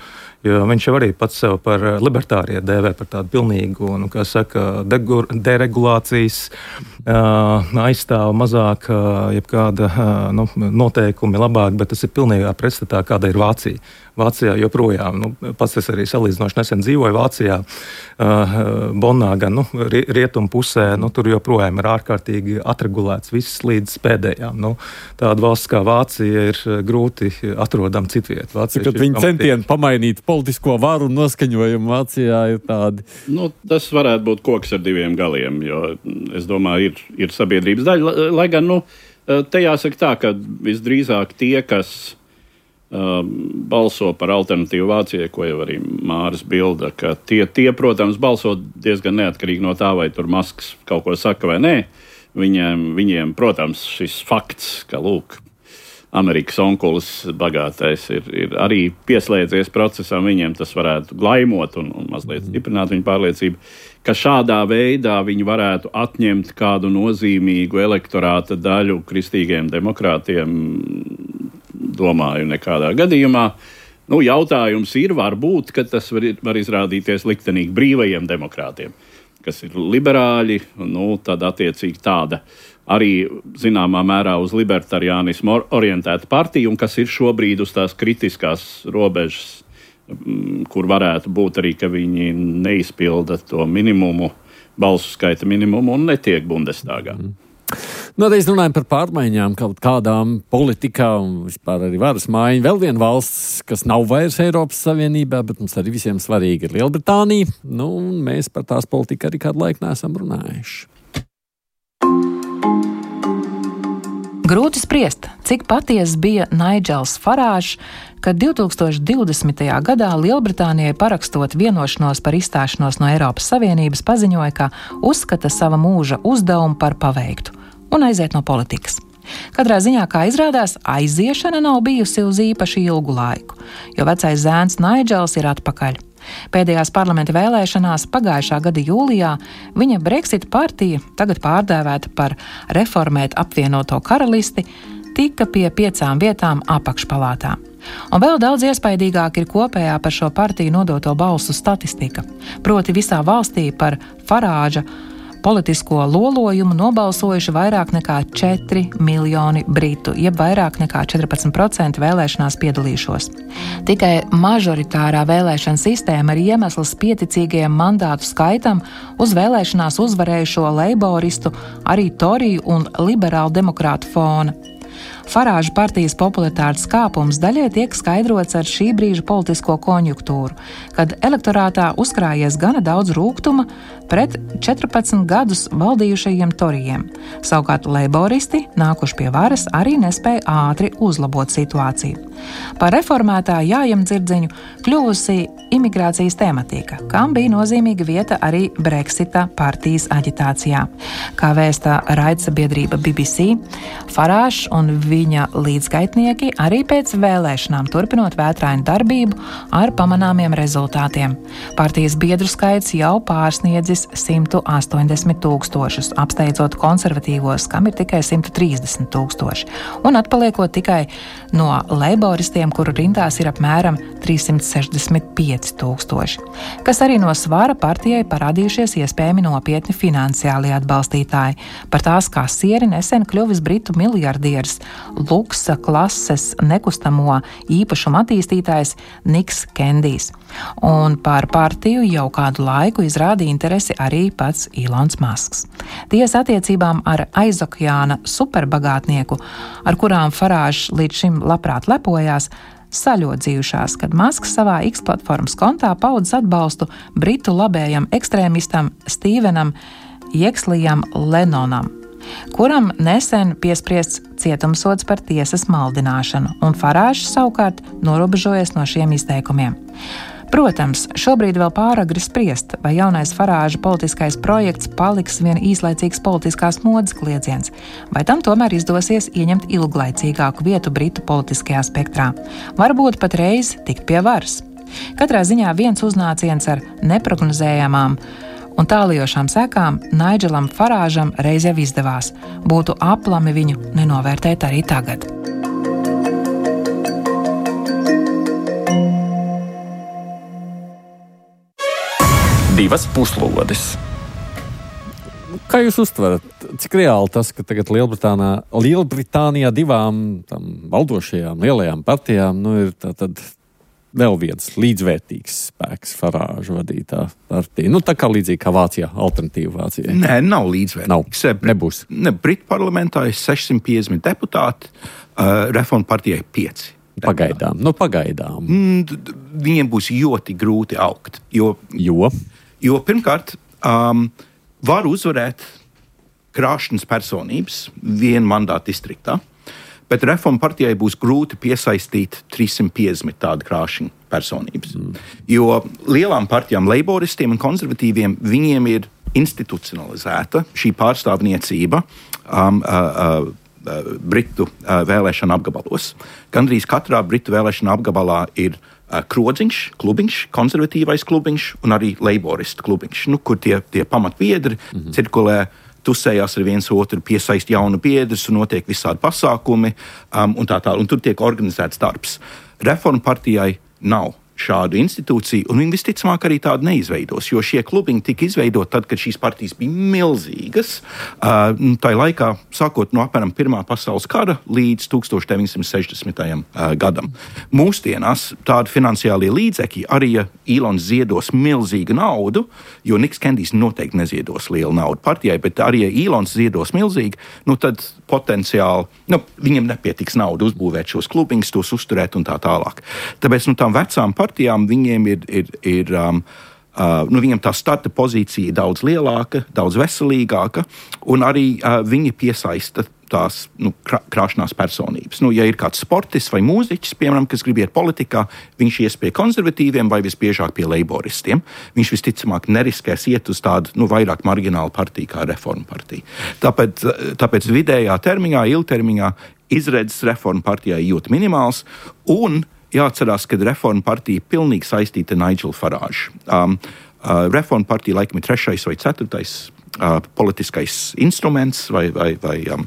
Jo viņš jau arī pats sev par libertārie dēvē par tādu pilnīgu, nu, kā saka, degur, deregulācijas uh, aizstāv mazāk, uh, jebkāda uh, nu, noteikumi labāk, bet tas ir pilnīgā pretstatā, kāda ir Vācija. Vācijā joprojām, nu, pats es arī salīdzinoši nesen dzīvoju Vācijā, uh, Bonnā, gan nu, rietumu pusē, nu, tur joprojām ir ārkārtīgi atregulēts viss līdz pēdējām. Nu, tāda valsts kā Vācija ir grūti atrodama citviet. Vācija Kad viņi centieni pamainīt politisko varu un noskaņojumu Vācijā ir tādi. Nu, tas varētu būt koks ar diviem galiem, jo es domāju, ir, ir sabiedrības daļa. Lai gan, nu, te jāsaka tā, ka visdrīzāk tie, kas uh, balso par alternatīvu Vācijai, ko jau arī Māris bilda, ka tie, tie, protams, balso diezgan neatkarīgi no tā, vai tur Masks kaut ko saka vai nē. Viņiem, viņiem protams, šis fakts, ka, lūk, Amerikas onkulis bagātais ir, ir arī pieslēdzies procesam, viņiem tas varētu glaimot un, un mazliet stiprināt viņu pārliecību, ka šādā veidā viņi varētu atņemt kādu nozīmīgu elektorāta daļu kristīgiem demokrātiem, domāju, nekādā gadījumā. Nu, jautājums ir, varbūt, ka tas var, var izrādīties liktenīgi brīvajiem demokrātiem, kas ir liberāļi, nu, tad attiecīgi tāda arī zināmā mērā uz libertariānismu orientēta partija, un kas ir šobrīd uz tās kritiskās robežas, kur varētu būt arī, ka viņi neizpilda to minimumu, balsu skaita minimumu un netiek Bundestagā. Mm. Nu, reiz runājam par pārmaiņām, kaut kādām politikā un vispār arī varas maiņu. Vēl viena valsts, kas nav vairs Eiropas Savienībā, bet mums arī visiem svarīgi ir Lielbritānija. Nu, un mēs par tās politiku arī kādu laiku neesam runājuši. Grūti spriest, cik patiesa bija Naidžels Farāžs, kad divtūkstoš divdesmitajā gadā Lielbritānijai parakstot vienošanos par izstāšanos no Eiropas Savienības paziņoja, ka uzskata sava mūža uzdevumu par paveiktu un aiziet no politikas. Katrā ziņā, kā izrādās, aiziešana nav bijusi uz īpaši ilgu laiku, jo vecais zēns Naidžels ir atpakaļ. Pēdējās parlamenta vēlēšanās pagājušā gada jūlijā viņa Brexit partija, tagad pārdēvēta par Reformēt apvienoto karalisti, tika pie piecām vietām apakšpalātā. Un vēl daudz iespaidīgāk ir kopējā par šo partiju nodoto balsu statistika. Proti visā valstī par Farāža politisko lolojumu nobalsojuši vairāk nekā četri miljoni britu, jeb vairāk nekā četrpadsmit procenti vēlēšanās piedalīšos. Tikai mažoritārā vēlēšana sistēma ir iemesls pieticīgajam mandātu skaitam uz vēlēšanās uzvarējušo leiboristu, arī Toriju un liberālu demokrātu fona. Farāža partijas popularitātes kāpums daļai tiek skaidrots ar šī brīža politisko konjunktūru, kad elektorātā uzkrājies gana daudz rūgtuma pret četrpadsmit gadus valdījušajiem torijiem. Savukārt leiboristi, nākuši pie varas, arī nespēja ātri uzlabot situāciju. Par reformētā jājam dzirdziņu kļuvusi imigrācijas tematika, kam bija nozīmīga vieta arī Brexita partijas aģitācijā. Kā vēsta raidsabiedrība B B C, Farāžs un viņa līdzgaitnieki arī pēc vēlēšanām turpinot vētrainu darbību ar pamanāmiem rezultātiem. Partijas biedru skaits jau pārsniedzis simt astoņdesmit tūkstošus, apsteidzot konservatīvos, kam ir tikai simt trīsdesmit tūkstoši, un atpaliekot tikai no leiboristiem, kuru rindās ir apmēram trīssimt sešdesmit pieci tūkstoši, kas arī no svara partijai parādījušies iespējami nopietni finansiāli atbalstītāji. Par tās kasieri nesen kļuvis britu miljardieris, luksa klases nekustamo īpašumu attīstītājs Niks Kendijs. Un par partiju jau kādu laiku izrāda interesi arī pats Ilons Masks. Tiesa attiecībām ar aizokeāna superbagātnieku, ar kurām Farāžs līdz šim labprāt lepojās, saļodzījušās, kad Masks savā X platformas kontā paudzes atbalstu britu labējam ekstrēmistam Stevenam Jekslijam Lennonam, kuram nesen piespriests cietumsods par tiesas maldināšanu, un Farāžs savukārt norobežojies no šiem izteikumiem. Protams, šobrīd vēl pāragri spriest, vai jaunais Farāža politiskais projekts paliks vien īslaicīgs politiskās modes kliedziens, vai tam tomēr izdosies ieņemt ilglaicīgāku vietu britu politiskajā spektrā, varbūt pat reiz tikt pie varas. Katrā ziņā viens uznāciens ar neprognozējamām un tālijošām sekām Naidželam Farāžam reiz jau izdevās. Būtu aplami viņu nenovērtēt arī tagad. Divas puslodes. Kā jūs uztverat, cik reāli tas, ka tagad Lielbritānijā, Lielbritānijā divām tam valdošajām lielajām partijām nu, ir tātad vēl viens līdzvērtīgs spēks Farāža vadītā partija? Nu, tā kā līdzīgi kā Vācijā, alternatīva Vācijai. Nē, nav līdzvērtīgs. Nav, nebūs. Ne, Britu parlamentā ir sešsimt piecdesmit deputāti, uh, Reformu partijai pieci. Pagaidām, nu pagaidām. Mm, viņiem būs ļoti grūti augt, jo... Jo? Jo pirmkārt, um, var uzvarēt krāšņas personības vienu mandātu distriktā, bet Reformu partijai būs grūti piesaistīt trīssimt piecdesmit tādu krāšņu personības. Mm. Jo lielām partijām, leiboristiem un konservatīviem, viņiem ir institucionalizēta šī pārstāvniecība um, uh, uh, Britu uh, vēlēšanu apgabalos. Gandrīz katrā Britu vēlēšanu apgabalā ir krodziņš, klubiņš, konservatīvais klubiņš un arī leiboristu klubiņš, nu, kur tie, tie pamatbiedri mm-hmm. cirkulē, tusējās ar viens otru, piesaist jaunu biedrus un notiek visādi pasākumi um, un tā tā, un tur tiek organizēts darbs. Reformu partijai nav šādu institūciju, un viņi visticamāk arī tādu neizveidos, jo šie klubiņi tika izveidoti tad, kad šīs partijas bija milzīgas. Uh, tā laikā, sākot no apmēram Pirmā pasaules kara līdz tūkstoš deviņsimt sešdesmitajam Uh, gadam. Mūsdienās tādi finansiālie līdzekļi, arī ja Ilons ziedos milzīgu naudu, jo Niks Kendijs noteikti neziedos lielu naudu partijai, bet arī ja Ilons ziedos milzīgi, nu tad potenciāli, nu, viņiem nepietiks naudu uzbūvēt šos klubiņus, tos uzturēt un tā tālāk. Tāpēc, nu, tām vecām partijām viņiem ir, ir, ir um, uh, nu, viņam tā starta pozīcija ir daudz lielāka, daudz veselīgāka, un arī uh, viņi piesaista tās nu, krā, krāšnās personības. Nu, ja ir kāds sportists vai mūziķis, piemēram, kas grib iet politikā, viņš ies pie konservatīviem vai visbiežāk pie leiboristiem. Viņš visticamāk neriskēs iet uz tādu nu, vairāk marginālu partiju kā Reformu partija. Tāpēc, tāpēc vidējā termiņā, ilgtermiņā izredzes Reformu partijai ļoti minimāls, un jāatcerās, ka Reformu partija ir pilnīgi saistīta ar Naidželu Farāžu. Um, uh, Reformu partija laikam ir trešais vai ceturtais uh, politiskais instruments vai, vai, vai um,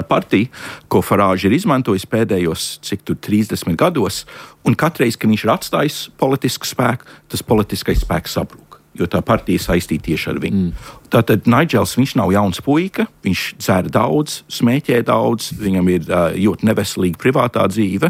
partija, ko Farāža ir izmantojis pēdējos, cik tur trīsdesmit gados, un katreiz, kad viņš ir atstājis politisku spēku, tas politiskais spēks sabrūk, jo tā partija saistīta tieši ar viņu. Mm. Tātad Naidžels, viņš nav jauns puika, viņš dzer daudz, smēķē daudz, viņam ir uh, ļoti neveselīga privātā dzīve.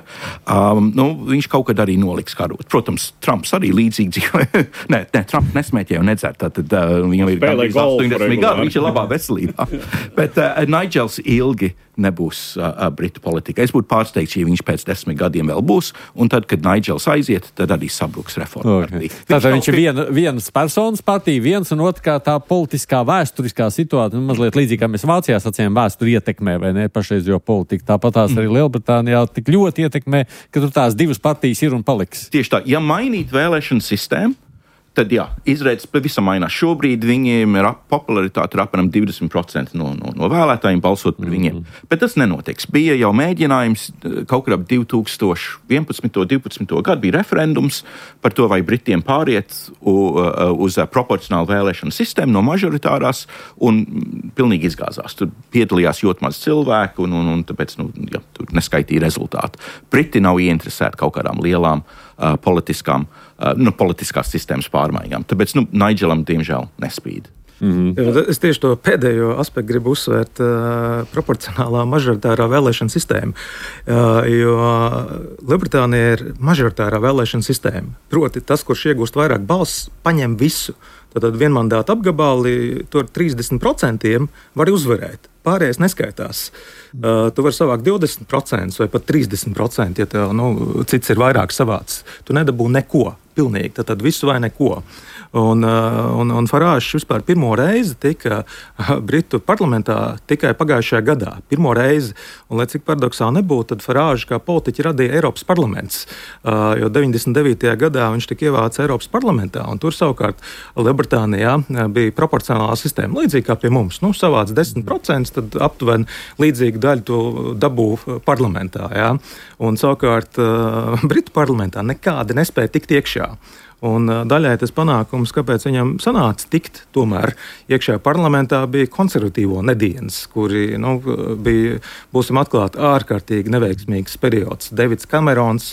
Um, nu, viņš kaut kad arī noliks karot. Protams, Trumps arī līdzīgi dzīve. nē, nē, Trumps nesmēķē un nedzer, tātad uh, viņam ir gandrīz astoņdesmit gadi, viņš ir labā veselībā. Bet uh, Naidžels ilgi nebūs uh, Britu politika. Es būtu pārsteigts, ja viņš pēc desmit gadiem vēl būs, un tad, kad Naidžels aiziet, tad arī sabruks Reformu okay. partija. Tātad viņš ir viena, vienas personas partija, viens un otrs kā tā politiskā vēsturiskā situācija, nu, mazliet līdzīgi, kā mēs Vācijā sacījām, vēsturi ietekmē, vai ne, pašreizējo politiku. Tāpat tās arī Lielbritānijā tik ļoti ietekmē, ka tur tās divas partijas ir un paliks. Tieši tā, ja mainīt vēlēšanu sistēmu, tad jā, izredzes pavisam mainās. Šobrīd viņiem ir popularitāte ir apmēram divdesmit procenti no, no, no vēlētājiem balsot par viņiem. Mm-hmm. Bet tas nenotiks. Bija jau mēģinājums kaut kur ap divi tūkstoši vienpadsmito, divpadsmito gadu bija referendums par to, vai Britiem pāriet uz proporcionālu vēlēšanu sistēmu no mažoritārās, un pilnīgi izgāzās. Tur piedalījās ļoti maz cilvēku, un, un, un tāpēc nu, jā, tur neskaitīja rezultātu. Briti nav ieinteresēti kaut kādām lielām uh, politiskām Uh, nu, politiskās sistēmas pārmaiņām. Tāpēc nu, Naidželam, diemžēl, nespīd. Mm-hmm. Es tieši to pēdējo aspektu gribu uzsvērt, uh, proporcionālā mažoritārā vēlēšana sistēma. Uh, jo Lielbritānija ir mažoritārā vēlēšana sistēma. Proti, tas, kurš iegūst vairāk balss, paņem visu. Tad vienmandāta apgabali tur trīsdesmit procenti var uzvarēt. Pārējais neskaitās. Uh, tu vari savākt divdesmit procenti vai pat trīsdesmit procenti, ja tev nu, cits ir vairāk savāds. Tu nedabū neko, pilnīgi, tad, tad visu vai neko. Un, un, un Farāžs vispār pirmo reizi tika Britu parlamentā tikai pagājušajā gadā. Pirmo reizi, un lai cik paradoksāli nebūtu, tad Farāžs kā politiķi radīja Eiropas parlaments. Uh, jo deviņdesmit devītajā gadā viņš tika ievācis Eiropas parlamentā, un tur savukārt Lielbritānijā bija proporcionālā sistēma, līdzīgi kā pie mums. Nu, savāc desmit procenti, tad aptuveni līdzīgu daļu tu dabū parlamentā. Jā. Un savukārt uh, Britu parlamentā nekādi nespēja tikt iekšā. Un daļai tas panākums, kāpēc viņam sanāca tikt tomēr iekšējā parlamentā, bija konservatīvo nedienas, kuri nu, bija, būsim atklāti, ārkārtīgi neveiksmīgs periods. Davids Kamerons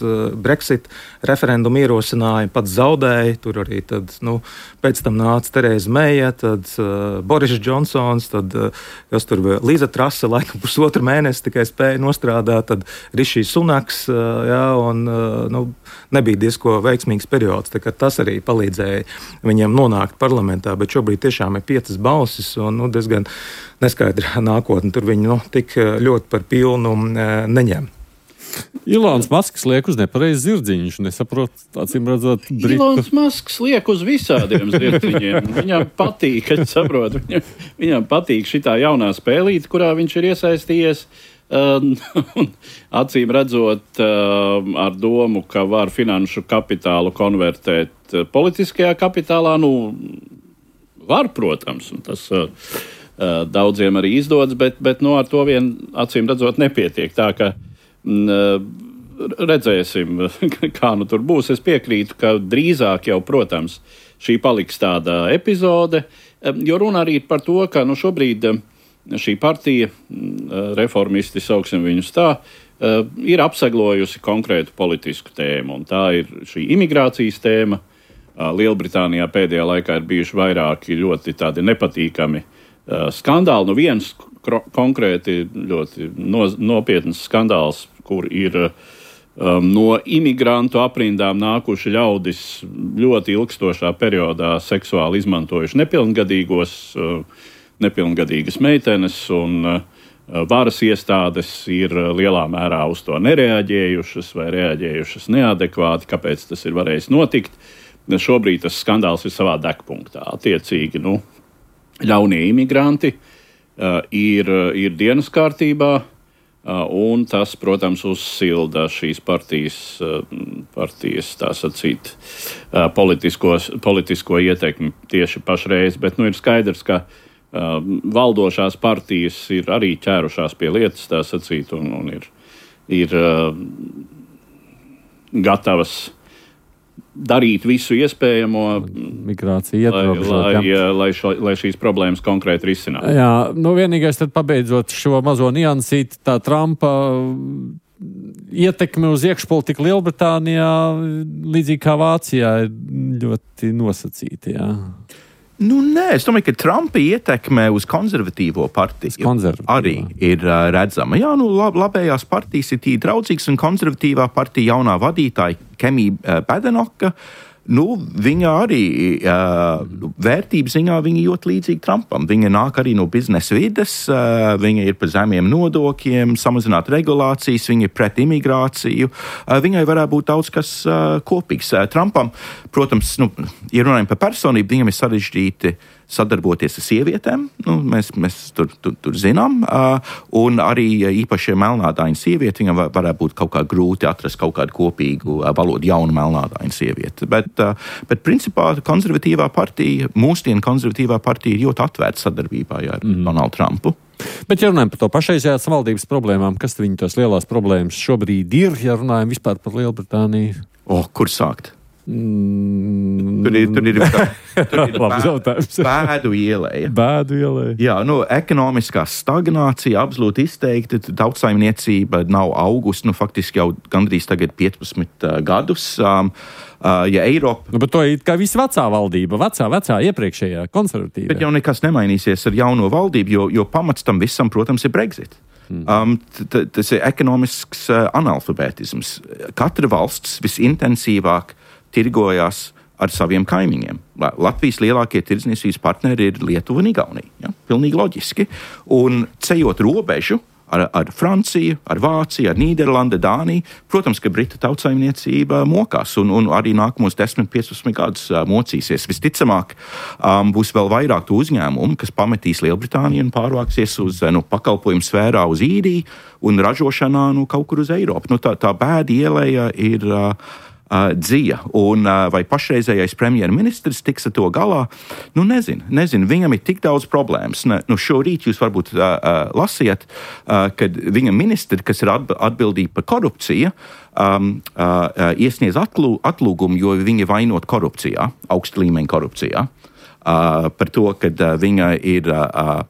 Brexit referendumu ierosināja, pats zaudēja, tur arī tad, nu, pēc tam nāca Tereza Meija, tad uh, Boris Džonsons, tad uh, kas tur bija Līza Trase, laikam pusotru mēnesi tikai spēja nostrādāt, tad Rišī Sunaks, uh, jā, un uh, nu, nebija diezko veiksmīgs periods, tā kā tas arī palīdzēja viņiem nonākt parlamentā, bet šobrīd tiešām ir piecas balsis un nu, diezgan neskaidra nākotne. Tur viņi nu, tik ļoti par pilnu e, neņem. Ilons Masks liek uz nepareizi zirdziņš, nesaprot, acīm redzot, Britu. Ilons Masks liek uz visādiem zirdziņiem. Viņam patīk, kad saprot, viņam, viņam patīk šitā jaunā spēlīte, kurā viņš ir iesaistījies. Uh, acīm redzot, uh, ar domu, ka var finanšu kapitālu konvertēt uh, politiskajā kapitālā, nu, var, protams, un tas uh, uh, daudziem arī izdodas, bet, bet nu, ar to vien, acīm redzot, nepietiek. Tā ka uh, redzēsim, kā nu tur būs. Es piekrītu, ka drīzāk jau, protams, šī paliks tāda epizode, uh, jo runa arī par to, ka nu, šobrīd uh, šī partija, reformisti, sauksim viņus tā, ir apseglojusi konkrētu politisku tēmu, un tā ir šī imigrācijas tēma. Lielbritānijā pēdējā laikā ir bijuši vairāki ļoti tādi nepatīkami skandāli. Nu viens konkrēti ļoti nopietns skandāls, kur ir um, no imigrantu aprindām nākuši ļaudis ļoti ilgstošā periodā seksuāli izmantojuši nepilngadīgos, uh, nepilngadīgas meitenes, un uh, varas iestādes ir lielā mērā uz to nereaģējušas vai reaģējušas neadekvāti, kāpēc tas ir varējis notikt. Šobrīd tas skandāls ir savā degpunktā. Attiecīgi, nu, ļaunie imigranti uh, ir, ir dienas kārtībā, uh, un tas, protams, uzsilda šīs partijas, uh, partijas tā sacīt, uh, politisko ietekmi tieši pašreiz, bet nu, ir skaidrs, ka Uh, valdošās partijas ir arī ķērušās pie lietas, tā sacīt, un, un ir, ir uh, gatavas darīt visu iespējamo, migrācija lai, lai, lai, šo, lai šīs problēmas konkrēti risinātu. Jā, nu vienīgais tad pabeidzot šo mazo niansīti, tā Trumpa ietekme uz iekšpolitiku Lielbritānijā, līdzīgi kā Vācijā, ir ļoti nosacīta, jā. Nu, nē, es domāju, ka Trumpa ietekme uz konservatīvo partiju arī ir uh, redzama. Jā, nu, lab, labējās partijas ir tī draudzīgas, un konservatīvā partija jaunā vadītāja Kemija uh, Badenoka, nu, viņa arī uh, vērtības ziņā viņa ļoti līdzīga Trumpam. Viņa nāk arī no biznesa vides, uh, viņa ir par zemiem nodokļiem, samazināt regulācijas, viņa ir pret imigrāciju. Uh, viņai varētu būt daudz kas uh, kopīgs. Uh, Trumpam, protams, nu, ja runājam par personību, viņam ir sarežģīti sadarboties ar sievietēm, nu, mēs, mēs tur, tur, tur zinām, uh, un arī īpaši melnādaina sieviete, viņam var, varētu būt kaut kā grūti atrast kaut kādu kopīgu uh, valodu, jaunu melnādaina sievieti. Bet, uh, bet principā konservatīvā partija, mūsdienu konservatīvā partija ir ļoti atvērta sadarbībā ar mm. Donaldu Trumpu. Bet, ja runājam par to pašreizējās valdības problēmām, kas viņu tās lielās problēmas šobrīd ir, ja runājam vispār par Lielbritāniju? O, kur sākt? Mm. Tur ir, tur ir, tur ir bē, bēdu ielēja. Bēdu ielēja. Jā, nu, ekonomiskā stagnācija absolūti izteikti. Tautsaimniecība nav augusi, nu, faktiski jau gandrīz tagad piecpadsmit uh, gadus. Um, uh, ja Eiropa... Nu, bet to ir kā visa vecā valdība, vecā, vecā iepriekšējā konservatīvā. Bet jau nekas nemainīsies ar jauno valdību, jo, jo pamats tam visam, protams, ir Brexit. Um, t- t- tas ir ekonomisks uh, analfabētisms. Katra valsts visintensīvāk tirgojās ar saviem kaimiņiem. Latvijas lielākie tirdzniecības partneri ir Lietuva un Igaunija. Ja? Pilnīgi loģiski. Un ceļot robežu ar, ar Franciju, ar Vāciju, ar Nīderlandi, Dāniju, protams, ka Brita tautsaimniecība mokās un, un arī nākamos desmit, piecpadsmit gadus uh, mocīsies. Visticamāk, um, būs vēl vairāk to uzņēmumu, kas pametīs Lielbritāniju un pārvāksies uz nu, pakalpojumu sfērā uz Īriju un ražošanā nu, kaut kur uz Eiropu. Nu, tā, tā bēda ielēja ir... Uh, uh, dzija. Un uh, vai pašreizējais premjerministrs tiks ar to galā? Nu, nezinu, nezinu. Viņam ir tik daudz problēmas. Ne, nu, šorīt jūs varbūt uh, uh, lasiet, uh, kad viņa ministri, kas ir atbildīgi par korupciju, um, uh, iesniedz atlū, atlūgumu, jo viņi vainot korupcijā, augsta līmeņa korupcijā. Uh, par to, ka uh, viņa ir, uh,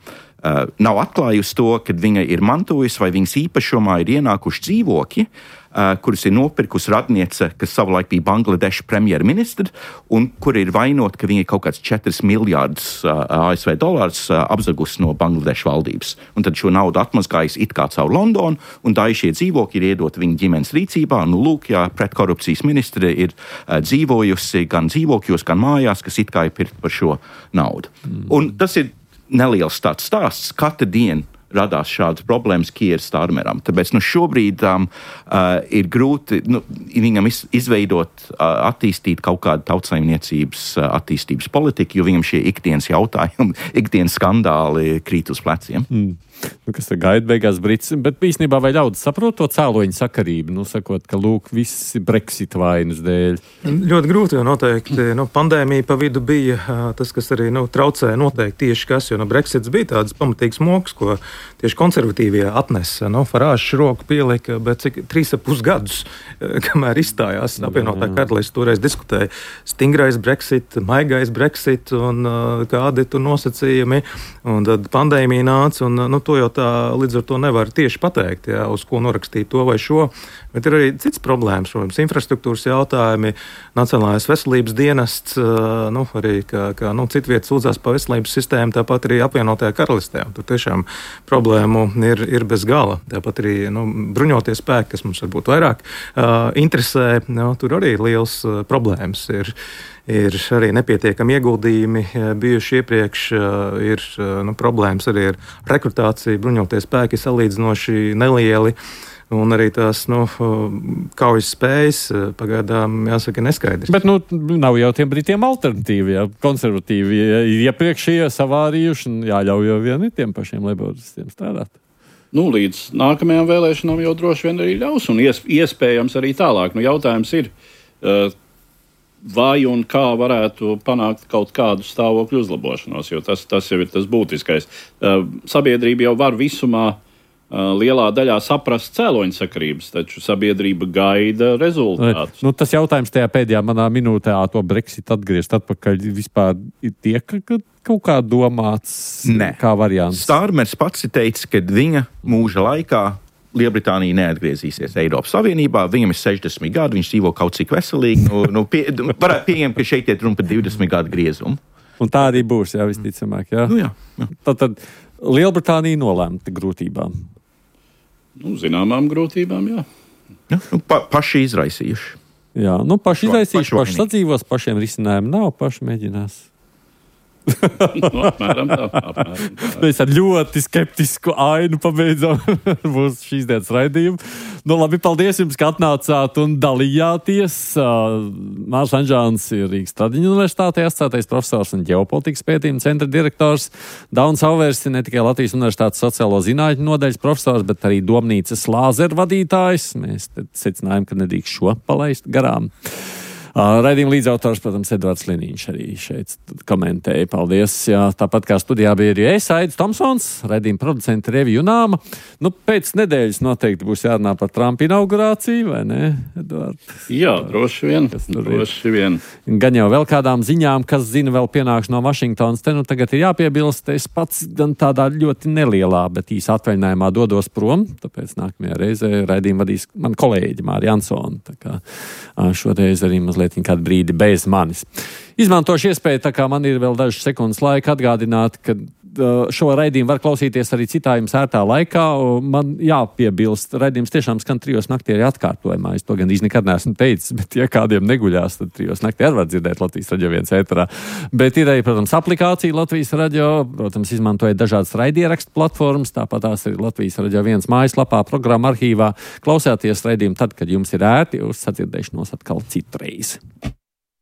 uh, nav atklājusi to, ka viņa ir mantojusi vai viņas īpašumā ir ienākuši dzīvokļi, uh, kurus ir nopirkusi radniece, kas savulaik bija Bangladeša premjerministra, un kur ir vainot, ka viņa kaut kāds četras miljārdus uh, A S V dolārus uh, apzagusi no Bangladeša valdības. Un tad šo naudu atmazgājis it kā caur Londonu, un daži šie dzīvokļi ir iedot viņa ģimenes rīcībā. Nu, lūk, jā, pretkorupcijas ministre ir uh, dzīvojusi gan dzīvokļos, gan mājās, kas it kā ir pirkt par šo naudu. Mm. Un tas ir neliels tāds stāsts. Katru dienu radās šādas problēmas Kiera Starmeram. Tāpēc nu, šobrīd um, uh, ir grūti nu, viņam iz, izveidot, uh, attīstīt kaut kādu tautsaimniecības uh, attīstības politiku, jo viņam šie ikdienas jautājumi, ikdienas skandāli krīt uz pleciem. Mm. Nu, kas ir gaida beigās Brits, bet īstenībā vai ļaudis saprot to cēloņu sakarību, nu, sakot, ka, lūk, viss Brexit vainas dēļ? Ļoti grūti, jo noteikti, nu, pandēmija pa vidu bija tas, kas arī, nu, traucēja noteikti tieši kas, jo, nu, Brexits bija tāds pamatīgs moks, ko tieši konservatīvie atnesa, nu, Farāžs roku pielika, bet cik trīs ap pus gadus, kamēr izstājās apvienotā karaliste, toreiz diskutēja stingrais Brexit, maigais Brexit un uh, kādi tur nosacījumi, un tad pandēmija nāca, un, nu, to jau tā līdz ar to nevar tieši pateikt, jā, uz ko norakstīt to vai šo, bet ir arī cits problēmas, protams, infrastruktūras jautājumi, Nacionālais veselības dienests, nu, arī, kā, kā nu, citvietas sūdzās pa veselības sistēmu, tāpat arī apvienotajā karalistē. Tur tiešām problēmu ir, ir bez gala. Tāpat arī, nu, bruņotie spēki, kas mums varbūt vairāk uh, interesē, nu, tur arī liels uh, problēmas ir. Ir arī nepietiekami ieguldījumi bijuši iepriekš, ir nu, problēmas arī ar rekrutāciju, bruņotie spēki salīdzinoši nelieli, un arī tās nu, kaujas spējas pagaidām, jāsaka, neskaidrs. Bet nu, nav jau tiem Britiem alternatīvi, jā, konservatīvi ir iepriekšējie savārījuši, un jāļauj jau vien tiem pašiem laboristiem strādāt. Nu, līdz nākamajām vēlēšanām jau droši vien arī ļaus, un iespējams arī tālāk. Nu, jautājums ir, uh, vai un kā varētu panākt kaut kādu stāvokļu uzlabošanos, jo tas, tas jau ir tas būtiskais. Uh, sabiedrība jau var visumā uh, lielā daļā saprast cēloņu sakarības, taču sabiedrība gaida rezultātus. Nu, tas jautājums tajā pēdējā manā minūtē, to Brexit atgriezt atpakaļ, vispār tiek kaut kā domāts ne. Kā variants? Starmers pats teica, ka viņa mūža laikā Lielbritānija neatgriezīsies Eiropas Savienībā, viņam ir sešdesmit gadi, viņš dzīvo kaut cik veselīgi. Nu, nu, pie, varētu pieņemt, ka šeit ir runa par divdesmit gadu griezumu. Un tā arī būs, jā, visticamāk. Jā. Nu, jā, jā. Tad, tad Lielbritānija nolēmta grūtībām. Nu, zināmām grūtībām, jā. Ja, nu, pa, paši izraisījuši. Jā, nu paši izraisījuši, paši sadzīvos, pašiem risinājumu nav, paši mēģinās. no, apmēram tā, apmēram tā. Mēs ar ļoti skeptisku ainu pabeidzam mūsu šīs dienas raidījumu. Nu, labi, paldies jums, ka atnācāt un dalījāties. Mārs Anžāns ir Rīgas Tradiņu universitātē asociētais profesors un ģeopolitikas pētījuma centra direktors. Dauns Auvers ir ne tikai Latvijas universitātes sociālo zinātņu nodaļas profesors, bet arī domnīcas lāzeru vadītājs. Mēs secinājām, ka nedrīkst šo palaist garām. Uh, Raidījuma līdzautors, protams, Edvards Liniņš arī šeit komentēja. Paldies. Jā, tāpat kā studijā bija arī es, Aidis Tomsons, raidījuma producenta Revija Junāma. Nu, pēc nedēļas noteikti būs jārunā par Trumpa inaugurāciju, vai ne, Edvard? Jā, droši vien. droši vien. Gan jau vēl kādām ziņām, kas zina vēl pienāks no Vašingtonas. Te nu tagad ir jāpiebilst, es pats gan tādā ļoti nelielā, bet īsa atvaļinājumā dodos prom, tāpēc nākamajā reizē raidījumu vadīs man kolēģi Māri Ansona. Tā kā šoreiz arī mazliet kādu brīdi bez manis. Izmantošu iespēju, tā kā man ir vēl dažas sekundes laika, atgādināt, ka šo raidījumu var klausīties arī citā jums ērtā laikā. Man jāpiebilst, raidījums tiešām skan trijos naktī arī atkārtojumā. Es to gan īsti nekad neesmu teicis, bet ja kādiem neguļās, tad trijos naktī arī var dzirdēt Latvijas radio viens ēterā. Bet ir arī, protams, aplikācija Latvijas radio, protams, izmantojot dažādas raidierakstu platformas, tāpat tās ir Latvijas radio viens mājaslapā, programma arhīvā. Klausāties raidījumu tad, kad jums ir ērti, uz sadzirdēšanos atkal citreiz.